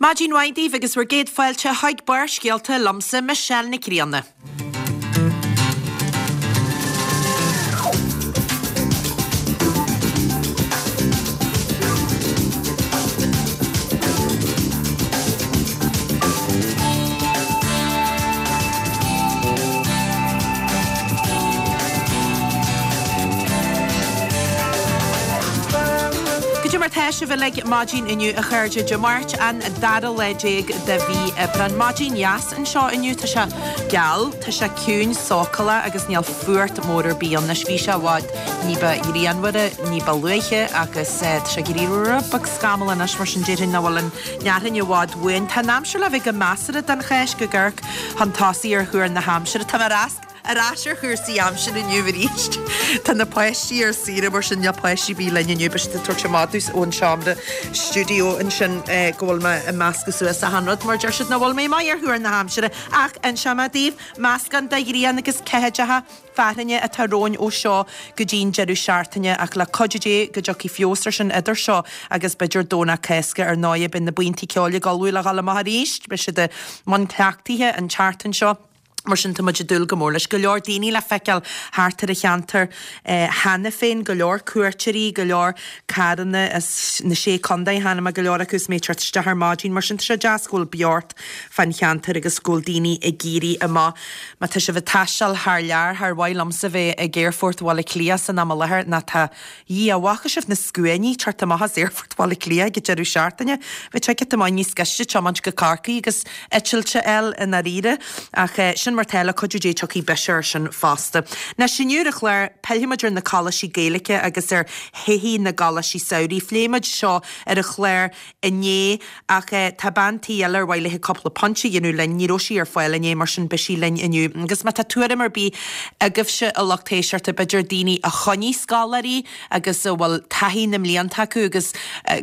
Maidin mhaith daoibh agus bhur gcéad fáilte chuig Barrscéalta liomsa, Michelle Nic Grianna. Goidé mar tá sibh uilig maidin inniu a chairde, Dé Máirt an dara lá déag de mhí Aibreán. Maidin dheas anseo inniu, tá sé geal, tá sé ciúin sócúlach agus níl fuacht mór ar bith ann. Anois bhí sé i bhfad ní ba ghrianmhaire ní ba luaithe agus tá sé ag éirí rud beag scamallach anois mar sin déarfainn nach bhfuil an fhearthainn i bhfad uainn. Tá an aimsir le bheith go measartha don Cháisc ag amharc chun tosaigh ar thuar na haimsire. Tá mé ar ais ar chúrsaí aimsire inniu arís. Tá na páistí ar saoire mar sin níl páistí ar bith linn inniu. Beidh siad ag tabhairt amach domh ón seomra stiúideo ansin go bhfuil mé ag meascadh suas achan rud mar deir siad nach bhfuil mé maith ar thuar na haimsire. Ach inseoidh mé daoibh, meascán de ghrian agus ceathaideacha fearthainne atá romhainn ó seo go dtí an deireadh seachtaine ach le cuidiú Dé go dtiocfaidh feabhas ar sin idir seo agus b'fhéidir Domhnach Cásca ar ndóighe beidh na buíontaí ceoil ag ullmhú le dhul amach arís beidh siad i mbun cleachtaithe an tseachtain seo. Mar sin tá muid ag dúil go mór leis. Go leor daoine le feiceáil thart ar an cheantar cheana féin, go leor cuairteoirí, go leor carranna as na Sé Contae, chonaic mé go leor acu is mé ag teacht isteach ar maidin. Mar sin tá sé deas go bhfuil beocht fán cheantar agus go bhfuil daoine ag éirí amach. Má tá sibh ag taisteal thar lear, char mhaith liomsa bheith ag Aerfort Bhaile Átha Cliath san am i láthair ná tá Dhia, bhfaca sibh na scuainí ag teacht amach as Aerfort Bhaile Átha Cliath ag an deireadh seachtaine? Bheadh ticket maith níos gaiste tiomáint go Corcaigh agus eitilt a fháil i ndáiríre. Ach sin mar tá, le cuidiú Dé tiocfaidh biseach air sin fosta. Anois inniu ar an chlár, pillfidh muid ar na coláistí Gaeilge agus ar thodhchaí na gcoláistí samhraidh. Phléigh muid seo ar an chlár inné ach tá bean tí eile ar mhaith léi cúpla pointe a dhéanamh linn, ní raibh sí ar fáil inné mar sin beidh sí linn inniu. Agus má tá tuairim ar bith agaibhse a lucht éisteachta, b'fhéidir daoine a choinnigh scoláirí agus a bhfuil taithí na mblianta acu agus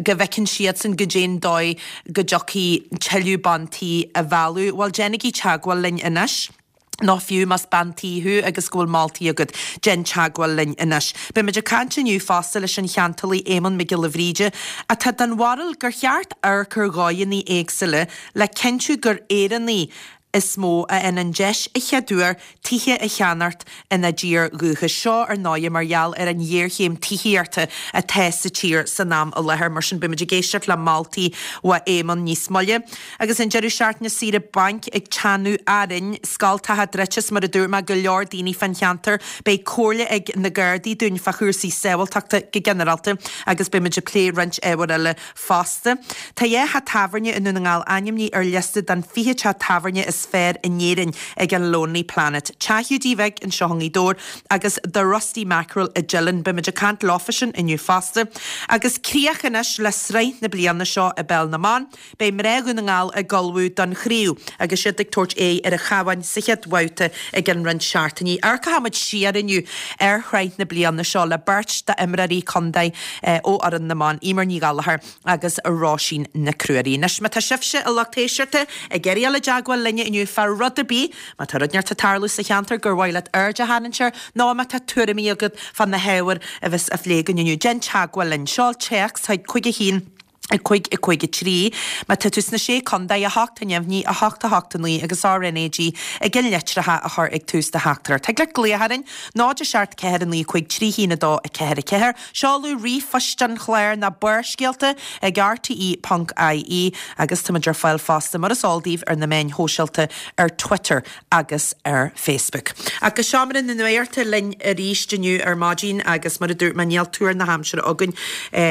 go bhfeiceann siadsan goidé'n dóigh go dtiocfaidh tuilleadh ban tí a mhealladh, bhuel déanaigí teagmháil linn anois. nó fiú más bean tí thú agus go bhfuil moltaí agat, déan teagmháil linn anois. Beidh muid ag caint inniu fosta leis an cheantálaí Éamonn Mac Giolla Bhríde, atá den bharúil gur cheart amharc ar dhóigheanna éagsúla le cinntiú gur Éireannaigh is mó a fhaigheann an deis a chéaduair tithe a cheannacht ina dtír dhúchais. Seo, ar ndóighe, mar gheall ar an ghéarchéim tithíochta atá sa tír san am i láthair. Mar sin, beidh muid ag éisteacht le moltaí uaidh Éamonn níos moille. Agus an deireadh seachtaine saoire bainc ag teannadh orainn, scoltacha druidte is mar a dúirt mé, go leor daoine fán cheantar. Beidh comhairle ag na Gardaí dúinn fá chúrsaí sábháilteachta go ginearálta agus beidh muid ag plé roinnt ábhar eile fosta. Tá dhá theach tábhairne i nDún na nGall ainmnithe ar liosta den 20 teach tábhairne is fearr in Éirinn ag an Lonely Planet. Teach Hiúdaí Bhig anseo i nGaoth Dobhair agus The Rusty Mackerel i dTeileann. Beidh muid ag caint leofa sin inniu fosta. Agus críoch anois le sraith na bliana seo i bPeil na mBan. Beidh mná Dhún na nGall ag ullmhú don chraobh agus iad ag tabhairt aghaidh ar an Chabhán sa chéad bhabhta i gceann roinnt seachtainí. Amharcfaidh muid siar inniu ar shraith na bliana seo le beirt d'imreoirí contae ó fhoireann na mban, Eimear Ní Ghallchóir agus Róisín Nic Ruairí. Anois, má tá sibhse, a lucht éisteachta, ag iarraidh dul i dteagmháil linne inniu fá rud ar bith, má tá rud inteacht ag tarlú sa cheantar gur mhaith leat aird a tharraingt air nó má tá tuairimí agat fá na hábhair a bheas á phlé againn inniu, déan teagmháil linn. Seol téacs chuig 5 1. 5 5 3. Má tá tú sna Sé Contae, 8 neamhní, 8 8 9 agus RnaG ag an litreacha a chur ag tús do theachtaireacht. Thig leat glaoch orainn, 0 7 4 9 5 3 1 2 4 4. Seoladh ríomhphoist an chláir ná Barrscéalta ag rte.ie agus táimid ar fáil fosta mar is eol daoibh ar na meáin shóisialta ar Twitter agus ar Facebook. Ach go seomra na nuachta linn arís inniu ar maidin agus mar a dúirt mé níl tuar na haimsire againn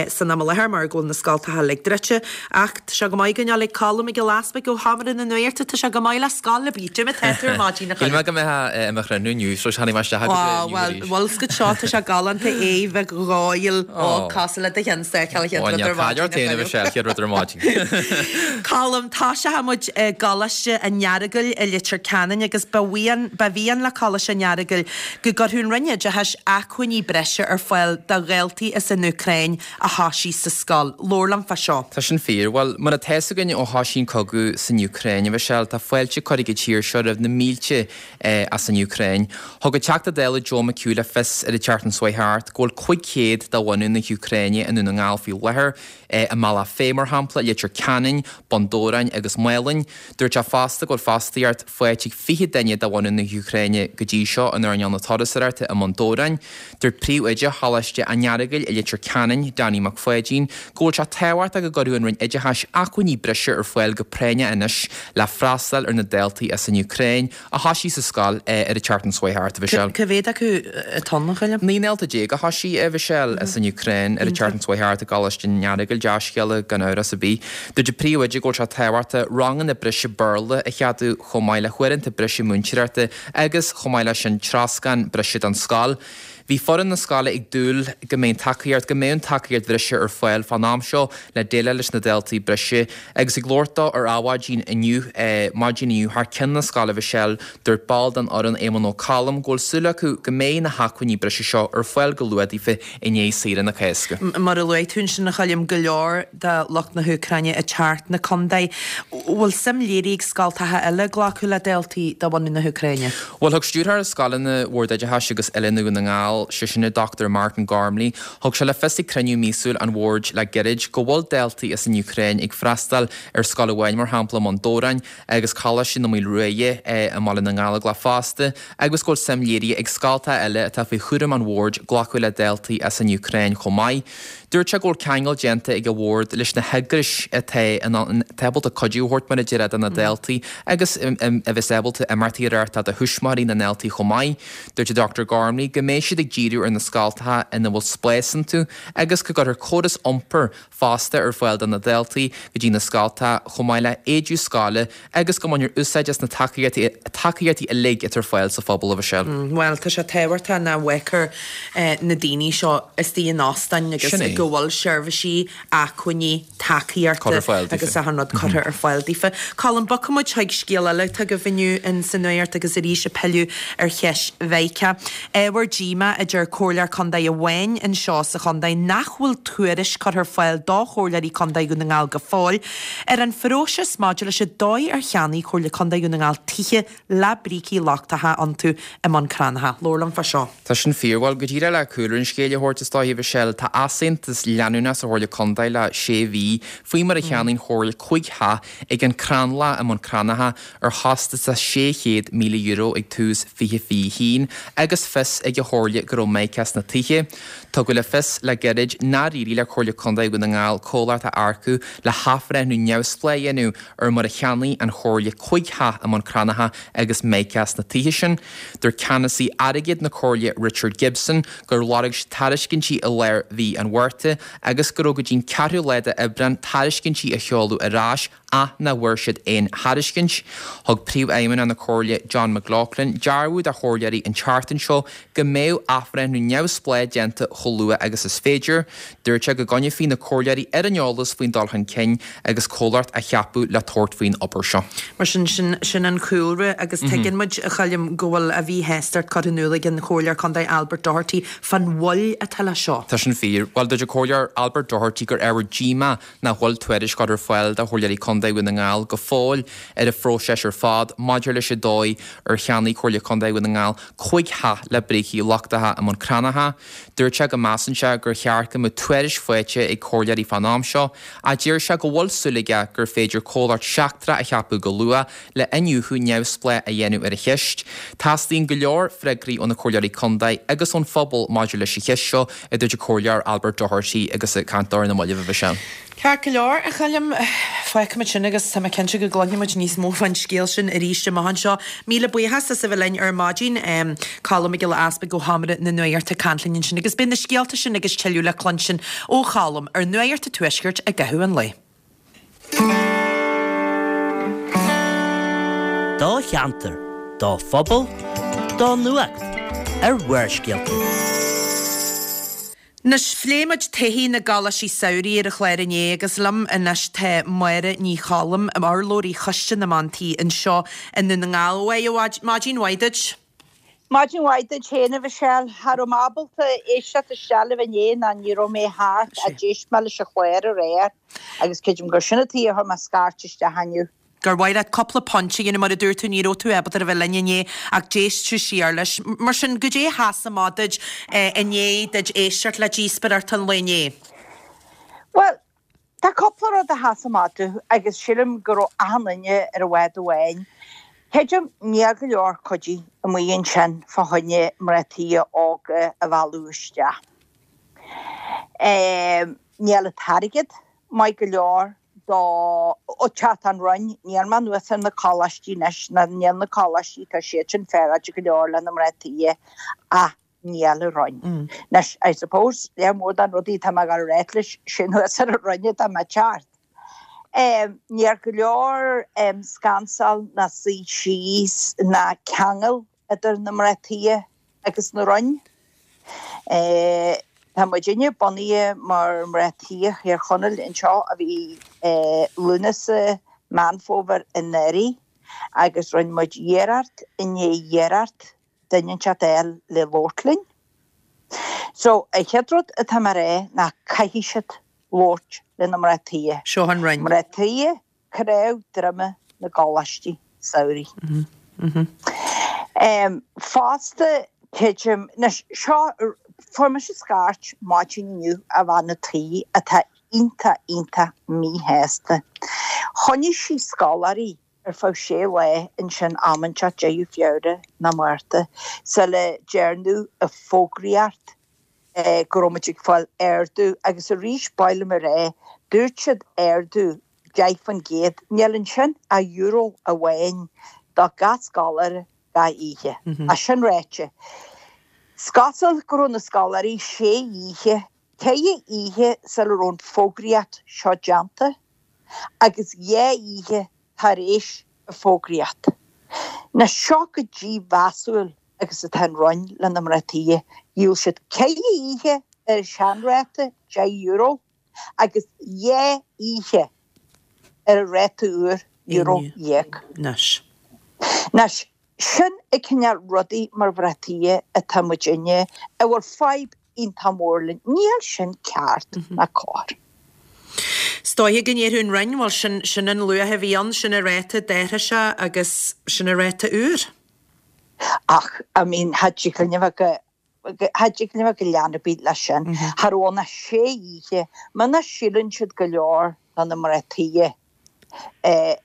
san am i láthair mar go bhfuil na scoltacha uilig druidte. Ach tá sé go maith go ndul ag Colm Mac Giolla Easpaig ó sheomra na nuachta, tá sé go maith le scoil ar bith. Cad é mar atá tú ar maidin a Shíl mé go mbeifeá i mo chruinniú inniu so tháinig mé isteach agus é inniu arís. Bhuel, bhuel, seo tá sé galánta é bheith dhóighiúil ó cosúil le do cheann sa chéad rud ar maidin. Ó níl caill ort féin a Mhichelle, chéad rud ar maidin. Colm, Toiseoidh muid i gColáiste an Earagail i Leitir Ceanainn agus ba mhian, ba mhian le Coláiste an Earagail go gcuirfeadh an Roinn Oideachais acmhainní breise ar fáil do dhaltaí as an Úcráin a thoisigh sa scoil. Labhair liom fá. fá seo. Tá sin fíor. Bhuel, mar atá fhios againn ó thoisigh an cogadh san Úcráin, a Mhichelle, tá fáilte curtha ag an tír seo roimh na mílte as an Úcráin. Thug an Teachta Dála Joe McHugh le fios ar an tseachtain seo chuaigh thart go bhfuil 500 de bhunadh na hÚcráine i nDún na nGall faoi láthair, i mBealach Féich mar shampla, Leitir Ceanainn, Bun Dobhráin agus Málainn. Dúirt sé fosta go bhfuil fostaíocht faighte ag 20 duine de bhunadh na hÚcráine go dtí seo in earnáil na turasóireachta i mBun Dobhráin. Dúirt príomhoide Choláiste an Earagail i Leitir Ceanainn, Danny Mac Pháidín, go bhfuil sé tábhachtach go gcuirfeadh an Roinn Oideachais acmhainní breise ar fáil go práinneach anois le freastal ar na daltaí as an Úcráin a thoisigh sa scoil ar an tseachtain seo chuaigh thart, a Mhichelle. Cá mhéad acu atá ann, a Choilm? 19 ndalta a thoisigh, a Mhichelle, as an Úcráin ar an tseachtain seo chuaigh thart i gColáiste an Earagail, dea-scéala gan amhras ar bith. Dúirt an príomhoide go bhfuil sé tábhachtach ranganna breise Béarla a cheadú chomh maith le huaireanta breise múinteoireachta agus, chomh maith leis sin, troscán breise don scoil. Bhí foireann na scoile ag dúil go mbeidh an tacaíocht go mbeadh an tacaíocht bhreise ar fáil fán am seo le déileáil leis na daltaí breise. Agus ag labhairt dó ar Adhmhaidin inniu, maidin inniu thar ceann na scoile Mhichelle, dúirt ball den fhoireann Éamonn Ó Colm go bhfuil súil acu go mbeidh na hacmhainní breise seo ar fáil go luath daofa i ndiaidh saoire na Cásca. Mar a luaigh tú ansin a Choilm, go leor de lucht na hÚcráine ag teacht 'na contae. Bhfuil suim léirithe ag scoltacha eile glacadh le daltaí de bhunadh na hÚcráine? Bhuel, thug Stiúrthóir Scoileanna Bhord Oideachais agus Oiliúna Dhún na nGall, sé sin an Dr Martin Gormley, thug sé le fios ag cruinniú míosúil an Bhoird le gairid go bhfuil daltaí as an Úcráin ag freastal ar scoil amháin, mar shampla, i mBun Dobhráin agus Coláiste na Maoile Ruaidhe i mBaile na nGallóglach fosta, agus go bhfuil suim léirithe ag scoltacha eile atá faoi chúram an Bhoird glacadh le daltaí as an Úcráin chomh maith. Dúirt sé go bhfuil ceangal déanta ag an Bhord leis na heagrais atá in ann, atá ábalta cuidiú a thabhairt mar a déarfá do na daltaí agus a bheas ábalta imeachtaí a reáchtáil do thuismitheoirí na ndaltaí chomh maith. Dúirt an Dr Gormley go mbeidh siad ag díriú ar na scoltacha ina bhfuil spás iontu agus go gcuirfear córas iompair fosta ar fáil do na daltaí go dtí na scoltacha chomh maith le héide scoile agus go mbainfear úsáid as na tacaíochtaí tacaíochtaí uilig atá ar fáil sa phobal, a Mhichelle. Bhuel, tá sé tábhachtach nach bhfágfar na daoine seo istigh in óstáin agus Sin é. go bhfuil seirbhísí, acmhainní, tacaíochta Curtha ar fáil daofa. agus achan rud curtha ar fáil daofa. Colm, bogfaidh muid chuig scéal eile atá agaibh inniu in sa nuacht agus arís ag pilleadh ar cheist Mheiceá. Ábhar díomá, a deir Comhairleoir Contae amháin anseo sa chontae, nach bhfuil tuairisc curtha ar fáil do Chomhairleoirí Contae Dhún na nGall go fóill ar an phróiseas maidir leis an dóigh ar cheannaigh Comhairle Contae Dhún na nGall tithe le brící lochtacha iontu i mBun Cranncha. Labhair liom fá seo. Tá sin fíor. Bhuel, go díreach le cúlra an scéil a thabhairt is dóiche, Michelle, tá easaontas leanúnach sa Chomhairle Contae le sé mhí faoi mar a cheannaigh an Chomhairle 5 theach ag an Crannlach i mBun Cranncha ar chostas de €600,000 ag tús 2021 agus fios ag an Chomhairle go raibh mica sna tithe. Tugadh le fios le gairid nár éirigh le Comhairle Contae Dhún na nGall comhlacht a earcú le hathbhreithniú neamhspleách a dhéanamh ar mar a cheannaigh an Chomhairle 5 theach i mBun Cranncha agus mica sna tithe sin. Dúirt ceannasaí airgid na Comhairle Richard Gibson gur lorg siad tairiscintí i lár mhí an Mhárta agus go raibh go dtí'n ceathrú lá d'Aibreán tairiscintí a sheoladh ar ais ach nach bhfuair siad aon thairiscint. Thug Príomhfheidhmeannach na Comhairle John McLaughlin dearbhú do chomhairleoirí an tseachtain seo go mbeadh athbhreithniú neamhspleách déanta chomh luath agus is féidir. Dúirt sé go gcoinneofaí na comhairleoirí ar an eolas faoin dul chun cinn agus comhlacht á cheapadh le tabhairt faoin obair seo. Mar sin, sin, sin an cúlra agus tuigeann muid, a Choilm, go bhfuil a mhíshástacht curtha in iúl ag an Chomhairleoir Contae Albert Doherty fán mhoill atá le seo. Tá sin fíor. Bhuel, dúirt an Comhairleoir Albert Doherty gur ábhar díomá nach bhfuil tuairisc curtha ar fáil do Chomhairleoirí Contae Dhún na nGall go fóill ar an phróiseas ar fad maidir leis an dóigh ar cheannaigh Comhairle Contae Dhún na nGall 5 theach le brící lochtacha i mBun Cranncha. Dúirt sé go measann sé gur cheart go mbeadh tuairisc faighte ag comhairleoirí fán am seo ach deir sé go bhfuil súil aige gur féidir comhlacht seachtrach a cheapadh go luath le iniúchadh neamhspleách a dhéanamh ar an cheist. Teastaíonn go leor freagraí ó na comhairleoirí contae agus ón phobal maidir leis an cheist seo, a dúirt an Comhairleoir Albert Doherty agus é ag caint dó ar na mallaibh, a Mhichelle. Ceart go leor, a Choilm, fágfaimid sin agus tá mé cinnte go gcluinfidh muid níos mó fán scéal sin arís amach anseo. Míle buíochas as a bheith linn ar maidin. Colm Mac Giolla Easpaig ó Sheomra na Nuachta ag caint linn ansin agus beidh na scéalta sin agus tuilleadh le cluinstin ó Cholm ar Nuacht an Tuaiscirt i gcaitheamh an lae. Do cheantar, do phobal, do nuacht ar Bharrscéalta. Anois, phléigh muid todhchaí na gcoláistí samhraidh ar an chlár inné agus liom anois tá Máire Ní Choilm, urlabhraí Choiste na mBean Tí anseo i nDún na nGall. Maidin mhaith duit. Maidin mhaith duit féin, a Mhichelle. Cha raibh mé ábalta éisteacht isteach libh inné ná ní raibh mé thart ach d'éist mé leis an chlár aréir agus creidim gur sin an tuige a chuir mé scairt isteach inniu. Gur mhaith leat cúpla pointe a dhéanamh, mar a dúirt tú, ní raibh tú ábalta a bheith linn inné ach d'éist tú siar leis. Mar sin, goidé a sheas amach duit i ndiaidh duit éisteacht le díospóireacht an lae inné? Bhuel, tá cúpla rud a sheas amach domh agus sílim go raibh achan duine ar an bhád amháin. Creidim níl go leor cuidí amuigh ansin fá choinne mná tí óga a mhealladh isteach. Níl an t-airgead maith go leor do ó teacht an Roinn, níl mé anuas ar na coláistí anois, ná níl na coláistí, tá siad sin féaráilte go leor le na mná tí ach níl an Roinn. Anois, I suppose, lear mór de na rudaí atá mé ag dul a ráit leis, sé anuas ar an Roinn atá mé ag teacht. Níl go leor scansáil ná suí síos ná ceangal idir na mná tí agus na Roinn. Tá muidinne bunaithe mar mná tí Thír Chonaill anseo a bhí Lúnasa, Meán Fómhair anuraidh agus rinne muid iarracht i ndiaidh iarracht duine inteacht a fháil le labhairt linn. So, an chéad rud atá mé a rá ná caithfidh siad labhairt le na mná tí. Seo an Roinn. Mná tí cnámh droma na gcoláistí samhraidh. Fosta, creidim, anois, seo, fuair mise scairt maidin inniu ó bhean a' tí atá iontach, iontach míshásta. Choinnigh sí scoláirí ar feadh sé lá ansin am inteacht deireadh Feabhra nó Márta sula ndearnadh an fógraíocht go raibh muid ag fáil ardú agus arís ba mhaith liom a rá, dúirt siad ardú 10%, níl ansin ach euro amháin do gach scoláire gach oíche. Ach sin ráite, is cosúil go raibh na scoláirí sé oíche, ceithre oíche sula raibh an fógraíocht seo déanta agus dhá oíche tar éis an fógraíocht. Anois seo go dímheasúil agus atá an Roinn le na mná tí. Dhíol siad ceithre oíche ar an seanráta €10 agus dhá oíche ar an ráta úr euro dhéag. Anois. Anois, sin an cineál rudaí mar mhná tí atá muidinne a bhfuil fadhb iontach mór linn. Níl sin ceart ná cóir. Is dóiche go ndéarfadh an Roinn, bhuel sin, sin an luach a bhí ann, sin an ráta a d'athraigh sé agus sin an ráta úr. Ach, I mean, cha dtig linn a bheith go, cha dtig linn a bheith go lean ar bith leis sin. Cha raibh ann ach sé oíche. Muna síleann siad go leor do na mná tí an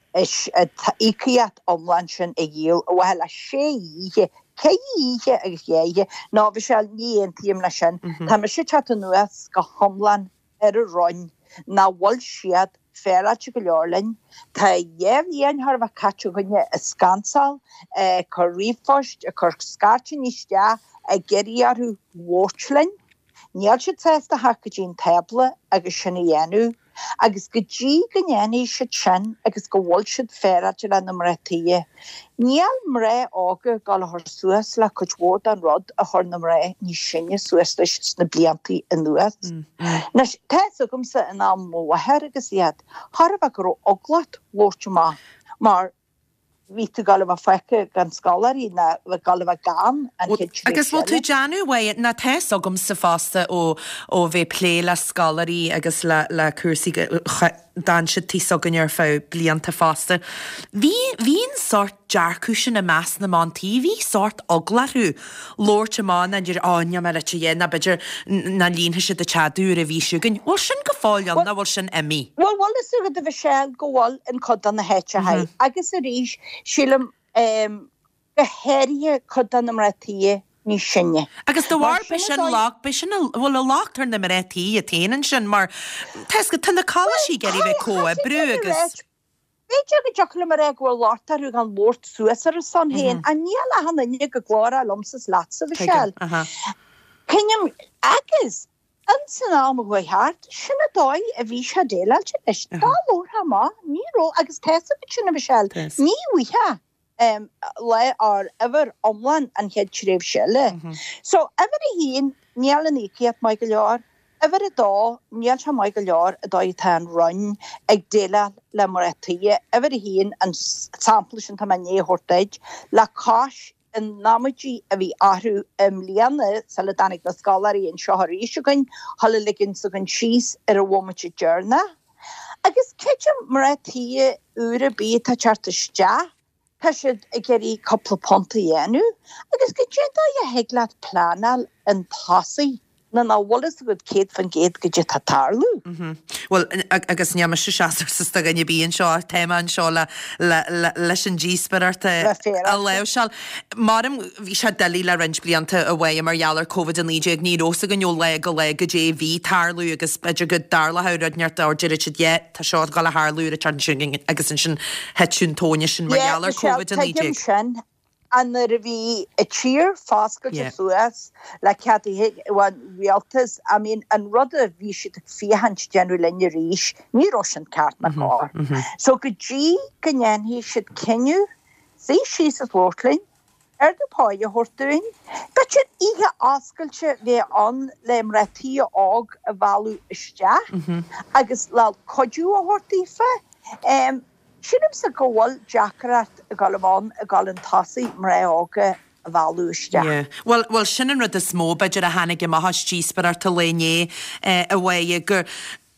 íocaíocht iomlán sin a dhíol ar mhaithe le sé oíche, ceithre oíche agus dhá oíche. No, Mhichelle, ní aontaím leis sin. Tá mise ag teacht anuas go hiomlán ar an Roinn nach bhfuil siad féaráilte go leor linn. Tá dhá bhliain chóir a bheith caite againne ag scansáil, ag cur ríomhphoist, ag cur scairteanna isteach, ag iarraidh orthu labhairt linn. Níl siad sásta theacht go dtí an tábla agus sin a dhéanamh. Agus go dtí go ndéanfaidh siad sin agus go bhfuil siad féaráilte le na mná tí, níl mná óga ag dul a chur suas le cuid mhór den rud a chuir na mná níos sine suas leis sna bliantaí anuas. Anois, tá fhios agamsa in am mo mháthar agus iad, chóir a bheith go raibh eagla ort labhairt amach mar bhí tú ag dul a bheith fágtha gan scoláirí ná ag dul a bheith gan an chéad tréimhse Agus bhfuil tú ag déanamh uaidh, ná tá fhios agamsa fosta ó ó bheith ag plé le scoláirí agus le le cúrsaí d'fhan siad taobh s'againne ar feadh blianta fosta. Bhí bhí an sórt dearcadh sin i measc na mban tí, bhí sórt eagla orthu labhairt amach ná deir ó níl mé le dhéanamh ná b'fhéidir ná líonfaidh siad an tead úr a bhí chugainn. Bhfuil sin go fóill ann nó bhfuil sin imithe? Bhuel, bhfuil fhios agat a Mhichelle go bhfuil in cuid de na háiteacha agus arís sílim go háirithe cuid de na mná tí níos sine. Agus de bharr b'é sin locht, b'é sin a, bhfuil an locht ar na mná tí iad féin ansin mar tá fhios agat, tá na coláistí ag iarraidh bheith ag comhoibriú agus. B'fhéidir go dtiocfadh liom a rá go bhfuil locht orthu gan labhairt suas ar a son féin, ach níl achan duine go glórach liomsa is leatsa, Mhichelle. Cinnim, agus ins an am a chuaigh thart, sin an dóigh a bhí sé déileáilte leis. Dá labharfá amach, ní raibh, agus tá fhios agat sin, a Mhichelle, ní bhfaighfeá lá or uimhir iomlán an chéad tréimhse eile. So, uimhir a haon, níl an íocaíocht maith go leor. Uimhir a dó, níl sé maith go leor an dóigh atá an Roinn ag déileáil le mná tí. Uimhir a haon, an sampla sin atá mé i ndiaidh a thabhairt duit, le cois. in amaidí a bhí orthu i mbliana sula dtáinig na scoláirí anseo arís againn, chuile ligean s'againn síos ar an bhomaite deireanach. Agus creidim mná tí úr ar bith atá ag teacht isteach, tá siad ag iarraidh cúpla punt a dhéanamh agus goidé an dóigh a thig leat pleanáil chun tosaigh nuair nach bhfuil fhios agat 100% goidé atá ag tarlú. Bhuel, agus níl mise seasmhach do dhuine ar bith anseo ach tá mé anseo le, le, le, leis an díospóireacht a, a láimhseáil. Maram, bhí sé doiligh le roinnt blianta a mhaíomh mar gheall ar Covid-19, ní raibh fhios againn ó lá go lá goidé a bhí ag tarlú agus b'fhéidir go dtarlódh rud inteacht or déarfadh siad yeah, tá seo ag dul a tharlú ar an tseachtain sin agus ansin thit an tóin sin mar Yeah, gheall ar Michelle, Covid-19. tuigim sin. Ach nuair a bhí an tír foscailte suas le ceaduithe ón rialtas, I mean, an rud a bhí siad ag féachaint déanamh linn arís, ní raibh sin ceart ná cóir. So go dtí go ndéanfaidh siad cinneadh, suí síos is labhairt linn, ardú páí a thabhairt dúinn, b'fhéidir oíche oscailte bheith ann le mná tí óg a mhealladh isteach agus le cuidiú a thabhairt daofa. Sílimse go bhfuil deacracht ag dul ann ag dul chun tosaigh mná óga a mhealladh isteach. Yeah. Bhuel, bhuel sin an rud is mó b'fhéidir a tháinig amach as díospóireacht an lae inné a Mháire, gur,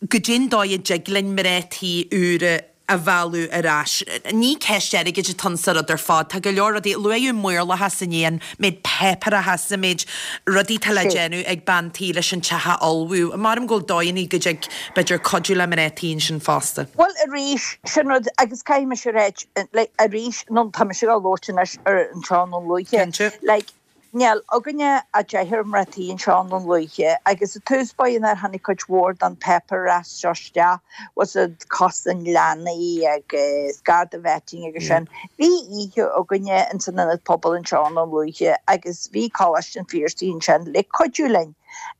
goidé an dóigh a dtig linn mná tí úra a mhealladh ar ais. Ní ceist airgid atá ann sa rud ar fad. Tá go leor rudaí, luaíodh maorlathas inné, an méid páipéarachas, an méid rudaí atá le déanamh ag bean tí leis an teach a ullmhú. Maram go bhfuil dóigheanna go dtig b'fhéidir cuidiú le mná tí ansin fosta. Bhuel arís, sin rud, agus caithfidh mise a ráit, like, arís, nó tá mise ag labhairt anois ar anseo i nDún Lúiche, Cinnte. like, níl againne ach deichniúr mná tí anseo i nDún Lúiche agus i tús báire nuair a tháinig cuid mhór den páipéarachas seo isteach, was it cosaint leanaí agus Garda vetting agus sin, bhí oíche againne ins an Ionad Pobail anseo i nDún Lúiche agus bhí Coláiste an Phiarsaigh ansin le cuidiú linn,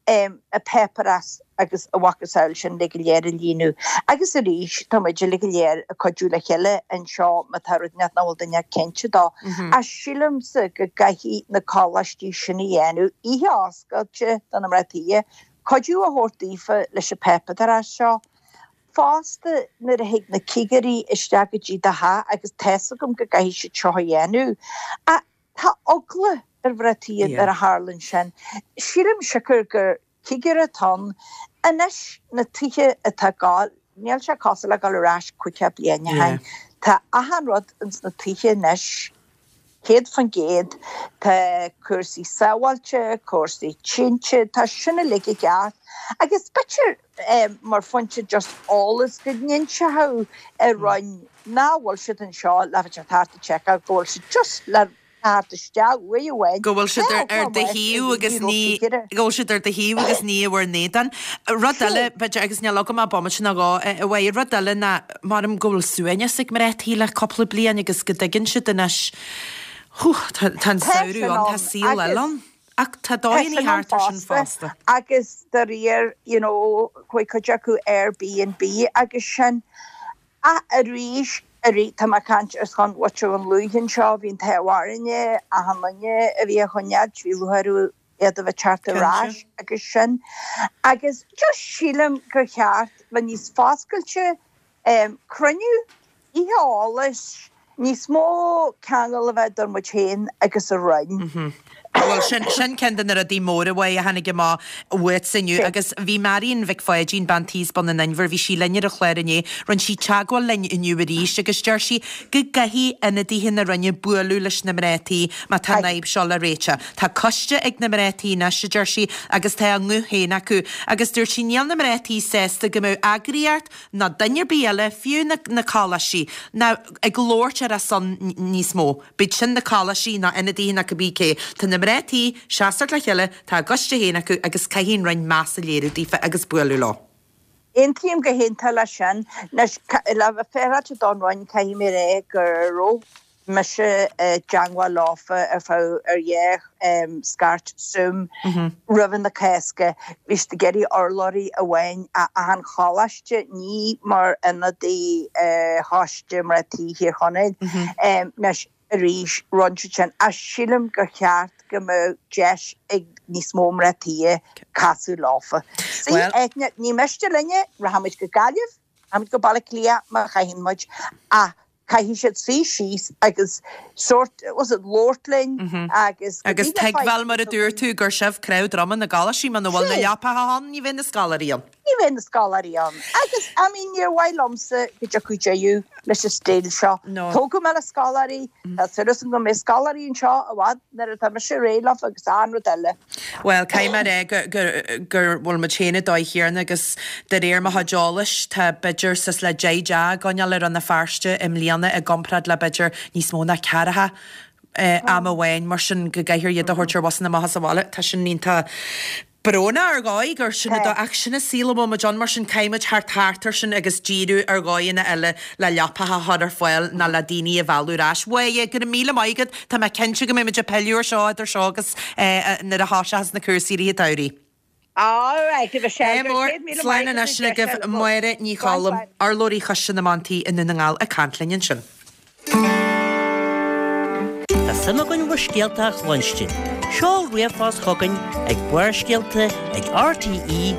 em, an páipéarachas agus a mhacasamhail sin uilig go léir a líonadh. Agus arís, tá muid uilig go léir ag cuidiú le chéile anseo má tá rud inteacht nach bhfuil duine cinnte dó. Ach sílimse go gcaithfidh na coláistí sin a dhéanamh, oíche oscailte do na mná tí, cuidiú a thabhairt daofa leis an pháipéarachas seo. Fosta, nuair a thig na cigirí isteach go dtí do theach, agus tá's agam go gcaithfidh siad seo a dhéanamh, ach tá eagla ar mhná tí nuair a tharlaíonn sin. Sílim siocair gur Cigire atá ann anois, na tithe atá ag gabháil, níl sé cosúil le dul ar ais 50 bliain ó shin. Tá achan rud ins na tithe anois, 100%, tá cúrsaí sábháilte, cúrsaí tinte, tá sin uilig i gceart. Agus b'fhéidir mar phointe just eolas go n-inseochadh an Roinn nach bhfuil siad anseo le bheith thart ag seiceáil, go bhfuil siad just le Thart isteach uaidh amháin. Go bhfuil siad ar do thaobh agus ní, go bhfuil siad ar do thaobh agus ní i bhur n-éadan. Rud eile, b'fhéidir, agus níl agam ach bomaite nó dhó, a Mháire, rud eile ná, maram go bhfuil suaimhneas ag mná tí le cúpla bliain agus go dtuigeann siad anois, hú, tá an samhradh ann, tá saol eile ann. Ach tá dóigheanna thart ar sin fosta. Agus de réir, you know, chuaigh cuid acu Airbnb agus sin. Ach arís, arís, tá mé ag caint ar son mhuintir Dhún Lúiche anseo, bhí an t-ádh orainne, achan duine a bhí á choinneáilt, bhí lúcháir orthu iad a bheith teacht ar ais agus sin. Agus just sílim gur cheart bheith níos foscailte, cruinniú, oíche eolais, Níos mó ceangal a bheith idir muid féin agus an Roinn. Bhuel, sin, sin ceann de na rudaí móra uaidh a tháinig amach uaitse inniu. Agus bhí Marion Mhic Pháidín, bean tí as Bun an Inbhir, bhí sí linn ar an chlár inné, rinne sí teagmháil linn inniu arís agus deir sí go gcaithfidh ionadaithe na Roinne bualadh leis na mná tí má tá an fhadhb seo le réiteach. Tá coiste ag na mná tí anois, a deir sí, agus tá a nguth féin acu. Agus dúirt sí níl na mná tí sásta go mbeadh eagraíocht ná duine ar bith eile, fiú na na coláistí, ná ag labhairt ar a son níos mó. Bíodh sin na coláistí ná ionadaithe ná cibé cé. Tá na mná tí seasamh le chéile, tá a gcoiste féin acu agus caithfidh an Roinn meas a léiriú daofa agus bualadh leo. Aontaím go hiontach leis sin. Anois, le bheith féaráilte don Roinn, caithfidh mé a rá go raibh mise i dteangmháil leofa ar feadh ar dhá scairt Zoom roimhe na Cásca. Bhí siad ag iarraidh urlabhraí amháin ó achan choláiste, ní mar ionadaí Choiste Mná Tí Thír Chonaill. Anois arís, rinne siad sin ach sílim gur cheart go mbeadh deis ag níos mó mná tí casadh leofa. Sea, Eithne, ní miste linne, rachaimid go Gaillimh, rachaimid go Baile Átha Cliath má chaitheann muid ach. Caithfidh siad suí síos agus sórt, was it, labhairt linn agus go Agus dtí na tuigbheáil, mar a dúirt tú, gur sibh cnámh droma na gcoláistí, muna bhfuil na leapacha ann, ní bheidh na scoláirí ann. Ní bheidh na scoláirí ann. Agus, I mean, níor mhaith liomsa go dtiocfadh deireadh leis an stíl seo. Tógadh mé le scoláirí, tá súil agam go mbeidh scoláirí anseo i bhfad nuair atá mise réidh leofa agus achan rud eile. Bhuel, caithfidh mé a rá go, go, go bhfuil muid féin ag dóigh chéanna agus de réir mo chuid eolais tá b'fhéidir suas le 10 dteach á gcoinneáil ar Rann na Feirste i mbliana i gcomparáid le b'fhéidir níos mó ná ceathracha am amháin, mar sin go gcaithfear iad a thabhairt ar bhusanna amach as an bhaile. Tá sin iontach brónach ar dhóigh gur sin an dóigh, ach sin an saol a bhfuil muid ann, mar sin caithfidh muid theacht thart air sin agus díriú ar dhóigheanna eile le leapacha a chur ar fáil ná le daoine a mhealladh ar ais. Mháire, go raibh míle maith agat, tá mé cinnte go mbeidh muid ag pilleadh ar seo idir seo agus nuair a thoiseochas na cúrsaí i rith an tsamhraidh. Alright, a Mhichelle, go raibh 100,000 maith Slán anois agat, agaibh, Máire Ní Choilm, urlabhraí Choiste na mBan Tí i nDún na nGall ag caint linn ansin. Tá suim againn bhur scéalta a chluinstin. Seol ríomhphost chugainn ag Barrscéalta ag rte.ie.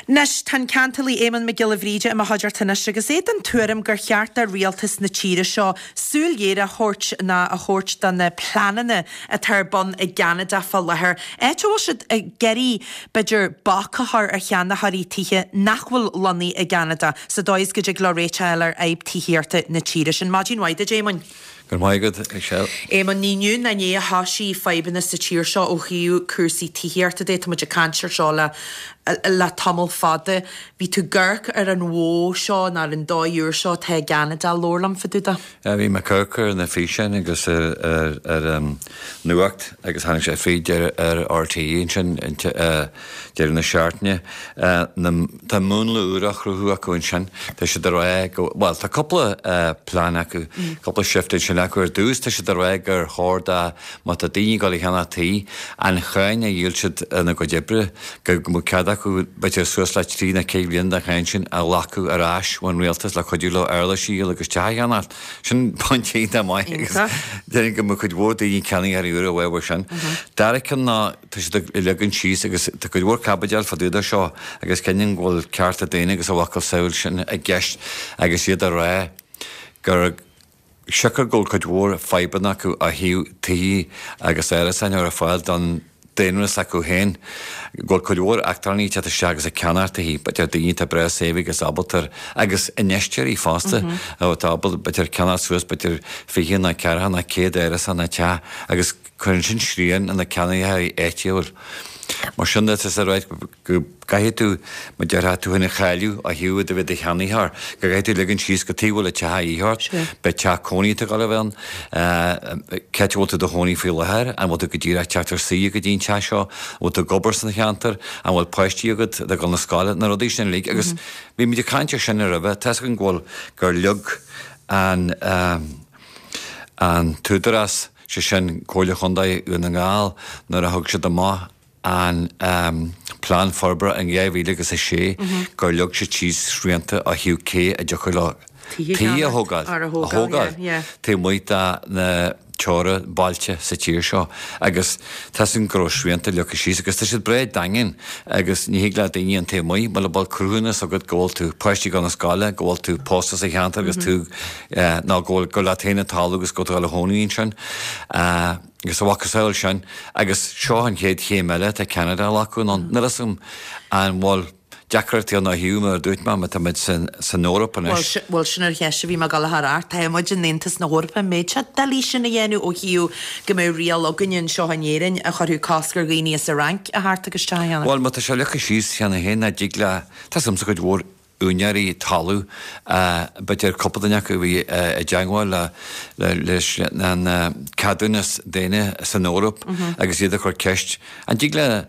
Anois, tá an ceantálaí Éamonn Mac Giolla Bhríde i mo chuideachta anois agus é den tuairim gur cheart do rialtas na tíre seo súil ghéar a thabhairt ná a thabhairt do na pleananna atá ar bun i gCeanada fá láthair, áit a bhfuil siad ag iarraidh, b'fhéidir, bac a chur ar cheannaitheoirí tithe nach bhfuil lonnaithe i gCeanada, sa dóigh is go dtig leo réiteach a fháil ar fhadhb tithíochta na tíre sin. Maidin mhaith duit, Éamoinn. Go raibh maith agat, Michelle. Éamonn, ní inniu ná inné a thoisigh fadhbanna sa tír seo ó thaobh cúrsaí tithíochta de. Tá muid ag caint ar seo le le tamall fada. Bhí tú ag amharc ar an mhodh seo nó ar an dóigh úr seo atá i gCeanada. Labhair liom fá dtaobh de. Bhí mé ag amharc ar na físeáin agus ar an nuacht agus tháinig sé fríd ar RTÉ ansin deireadh na seachtaine. Tá múnla úr á chruthú acu ansin. Tá siad ag rá go, bhuel, tá cúpla plean acu, cúpla shift ansin acu. Ar dtús tá siad ag rá gur chóir do, má tá daoine ag dul a cheannach tí, an cháin a dhíol siad ina gcuid oibre, go mbeadh cead acu b'fhéidir suas le trí nó ceithre bliana den cháin sin a ghlacadh ar ais ón rialtas le cuidiú leo éarlais a dhíol agus teach a cheannacht. Sin pointe iontach maith agus déarfainn go mbeadh cuid mhór daoine ceannaitheoirí úra uathu sin. Dara ceann ná tá siad ag leagan síos agus tá cuid mhór caibidil fá dtaobh de seo agus cinneann go bhfuil cearta daonna agus a mhacasamhail sin i gceist agus iad ag rá gur siocair go bhfuil cuid mhór fadhbanna acu ó thaobh tithe agus árasáin a chur ar fáil don daonra s'acu féin, go bhfuil cuid mhór eachtrannaigh ag teacht isteach agus ag ceannacht tithe, b'fhéidir daoine atá breá saibhir agus ábalta, agus infheisteoirí fosta, atá ábalta b'fhéidir ceannacht suas b'fhéidir 20 nó 40 nó 100 árasán nó teach agus cuireann sin srian ar na ceannaitheoirí áitiúil. Mar sin de, tá sé ráite go gcaithfidh tú, mar a déarfá, tú féin a cháiliú ó thaobh do bheith i do cheannaitheoir, go gcaithfidh tú ligean síos cad chuige a bhfuil an teach a dhíth ort, ab é teach cónaí atá ag dul a bheith ann, cá háit a bhfuil tú i do chónaí faoi láthair, an bhfuil tú go díreach ag teacht ar saoire go dtí an teach seo, an bhfuil tú ag obair san cheantar, an bhfuil páistí agat atá ag dul na scoile, na rudaí sin uilig. Agus bhí muid ag caint ar sin roimhe, tá 'fhios againn go bhfuil, gur leag an, an t-údarás, sé sin Comhairle Chontae Dhún na nGall, nuair a thug siad amach an Plean Forbartha in 2006 gur leag siad síos srianta ó thaobh cé a dtiocfadh leo tithe a thógáil, a thógáil taobh amuigh de na teorainn-bhailte sa tír seo agus tá 'fhios againn go raibh srianta leagtha síos agus tá siad breá daingean agus ní thig le daoine an taobh amuigh mura bhfuil cruthúnas agat go bhfuil tú páistí ag dul na scoile, go bhfuil tú pósta sa cheantar agus tú nó go bhfuil gur leat féin an talamh agus go bhfuil tú ag dul a chónaí ansin. Agus a mhacasamhail sin, agus seo an chéad chéim eile atá Ceanada a ghlacadh anonn. Níl 'fhios agam an bhfuil deacrachtaí ann ó thaobh, mar a dúirt mé, má tá muid san Eoraip anois. Bhuel, sin an cheist a bhí mé ag dul a chur ort. Tá muid in Aontas na hEorpa, an mbeadh sé doiligh sin a dhéanamh ó thaobh go mbeadh riail againne anseo in Éirinn a chuirfeadh cosc ar dhaoine as an Fhrainc a theacht agus teach a cheannach? Bhuel, má tá sé leagtha síos cheana féin nach dtig le, tá 'fhios agamsa cuid mhór úinéirí talún, b'fhéidir cúpla duine acu a bhí i dteagmháil leis an ceadúnas daoine san Eoraip agus iad ag cur ceist, an dtig le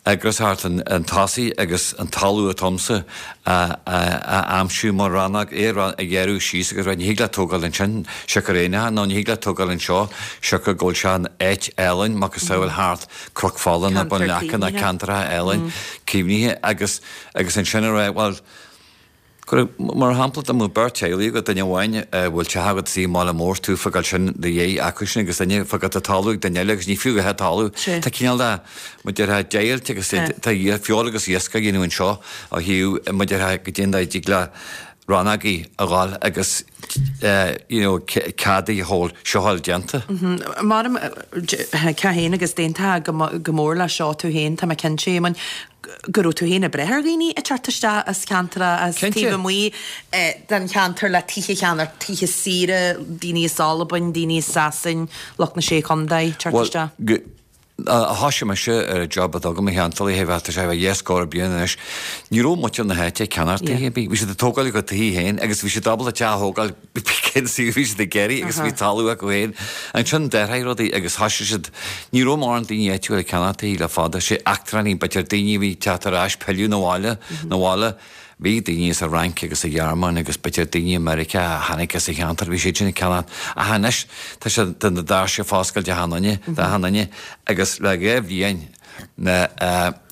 eagras a theacht chun tosaigh agus an talamh atá agamsa a aimsiú mar rannóg, é a ghearradh síos agus rá ní thig leat tógáil ansin siocair aon nó ní thig leat tógáil anseo siocair go bhfuil sé in áit álainn, macasamhail thart Cnoc Fola nó Bun Leaca nó ceantracha álainn caomhnaithe agus Agus ansin a rá, bhuel, go raibh, mar shampla, dá mbeadh beirt teaghlaigh agat, duine amháin a bhfuil teach agat i mbaile mór, tú ag fágáil sin do dhéidh acu sin agus duine ag fágáil tá talamh ag duine eile agus ní fiú a dhath talamh. Tá cineál de, mar a déarfá, deighilt agus tá feoil agus iasc á dhéanamh anseo ó thaobh, mar a déarfá, go dtéann do dtig le. rannógaí a dhul agus you know cead a fháil seo a fháil déanta. Mar cá féin agus d'aontófá go mór leis seo tú féin, tá mé cinnte, Éamoinn, go raibh tú féin ag brath ar dhaoine ag teacht isteach as ceantracha as taobh amuigh den cheantar le tithe a cheannacht, tithe saoire, daoine as Albain, daoine as Sasain, lucht na Sé Chontae ag teacht isteach. Ó thoisigh mise ar an job atá agam, a Sheantálaí, tá sé a dheich scór bliain anois, ní raibh muintir na háite ag ceannacht tithe ar bith. Bhí siad ag tógáil a gcuid tithe féin agus bhí siad ábalta teach a thógáil cén suíomh a bhí siad ag iarraidh agus bhí talamh acu féin. Ansin d'athraigh rudaí agus thoisigh siad, ní raibh mórán daoine áitiúil ag ceannacht tithe le fada, sé eachtránaigh, b'fhéidir daoine a bhí ag teacht ar ais, pilleadh 'na bhaile, 'na bhaile. Bhí daoine as an Fhrainc agus an Ghearmáin agus b'fhéidir daoine i Meiriceá a tháinig as an cheantar, bhí siad sin ag ceannacht. Ach anois tá sé, tá na doirse ag foscailt d'achan duine, d'achan duine agus le dhá bhliain na,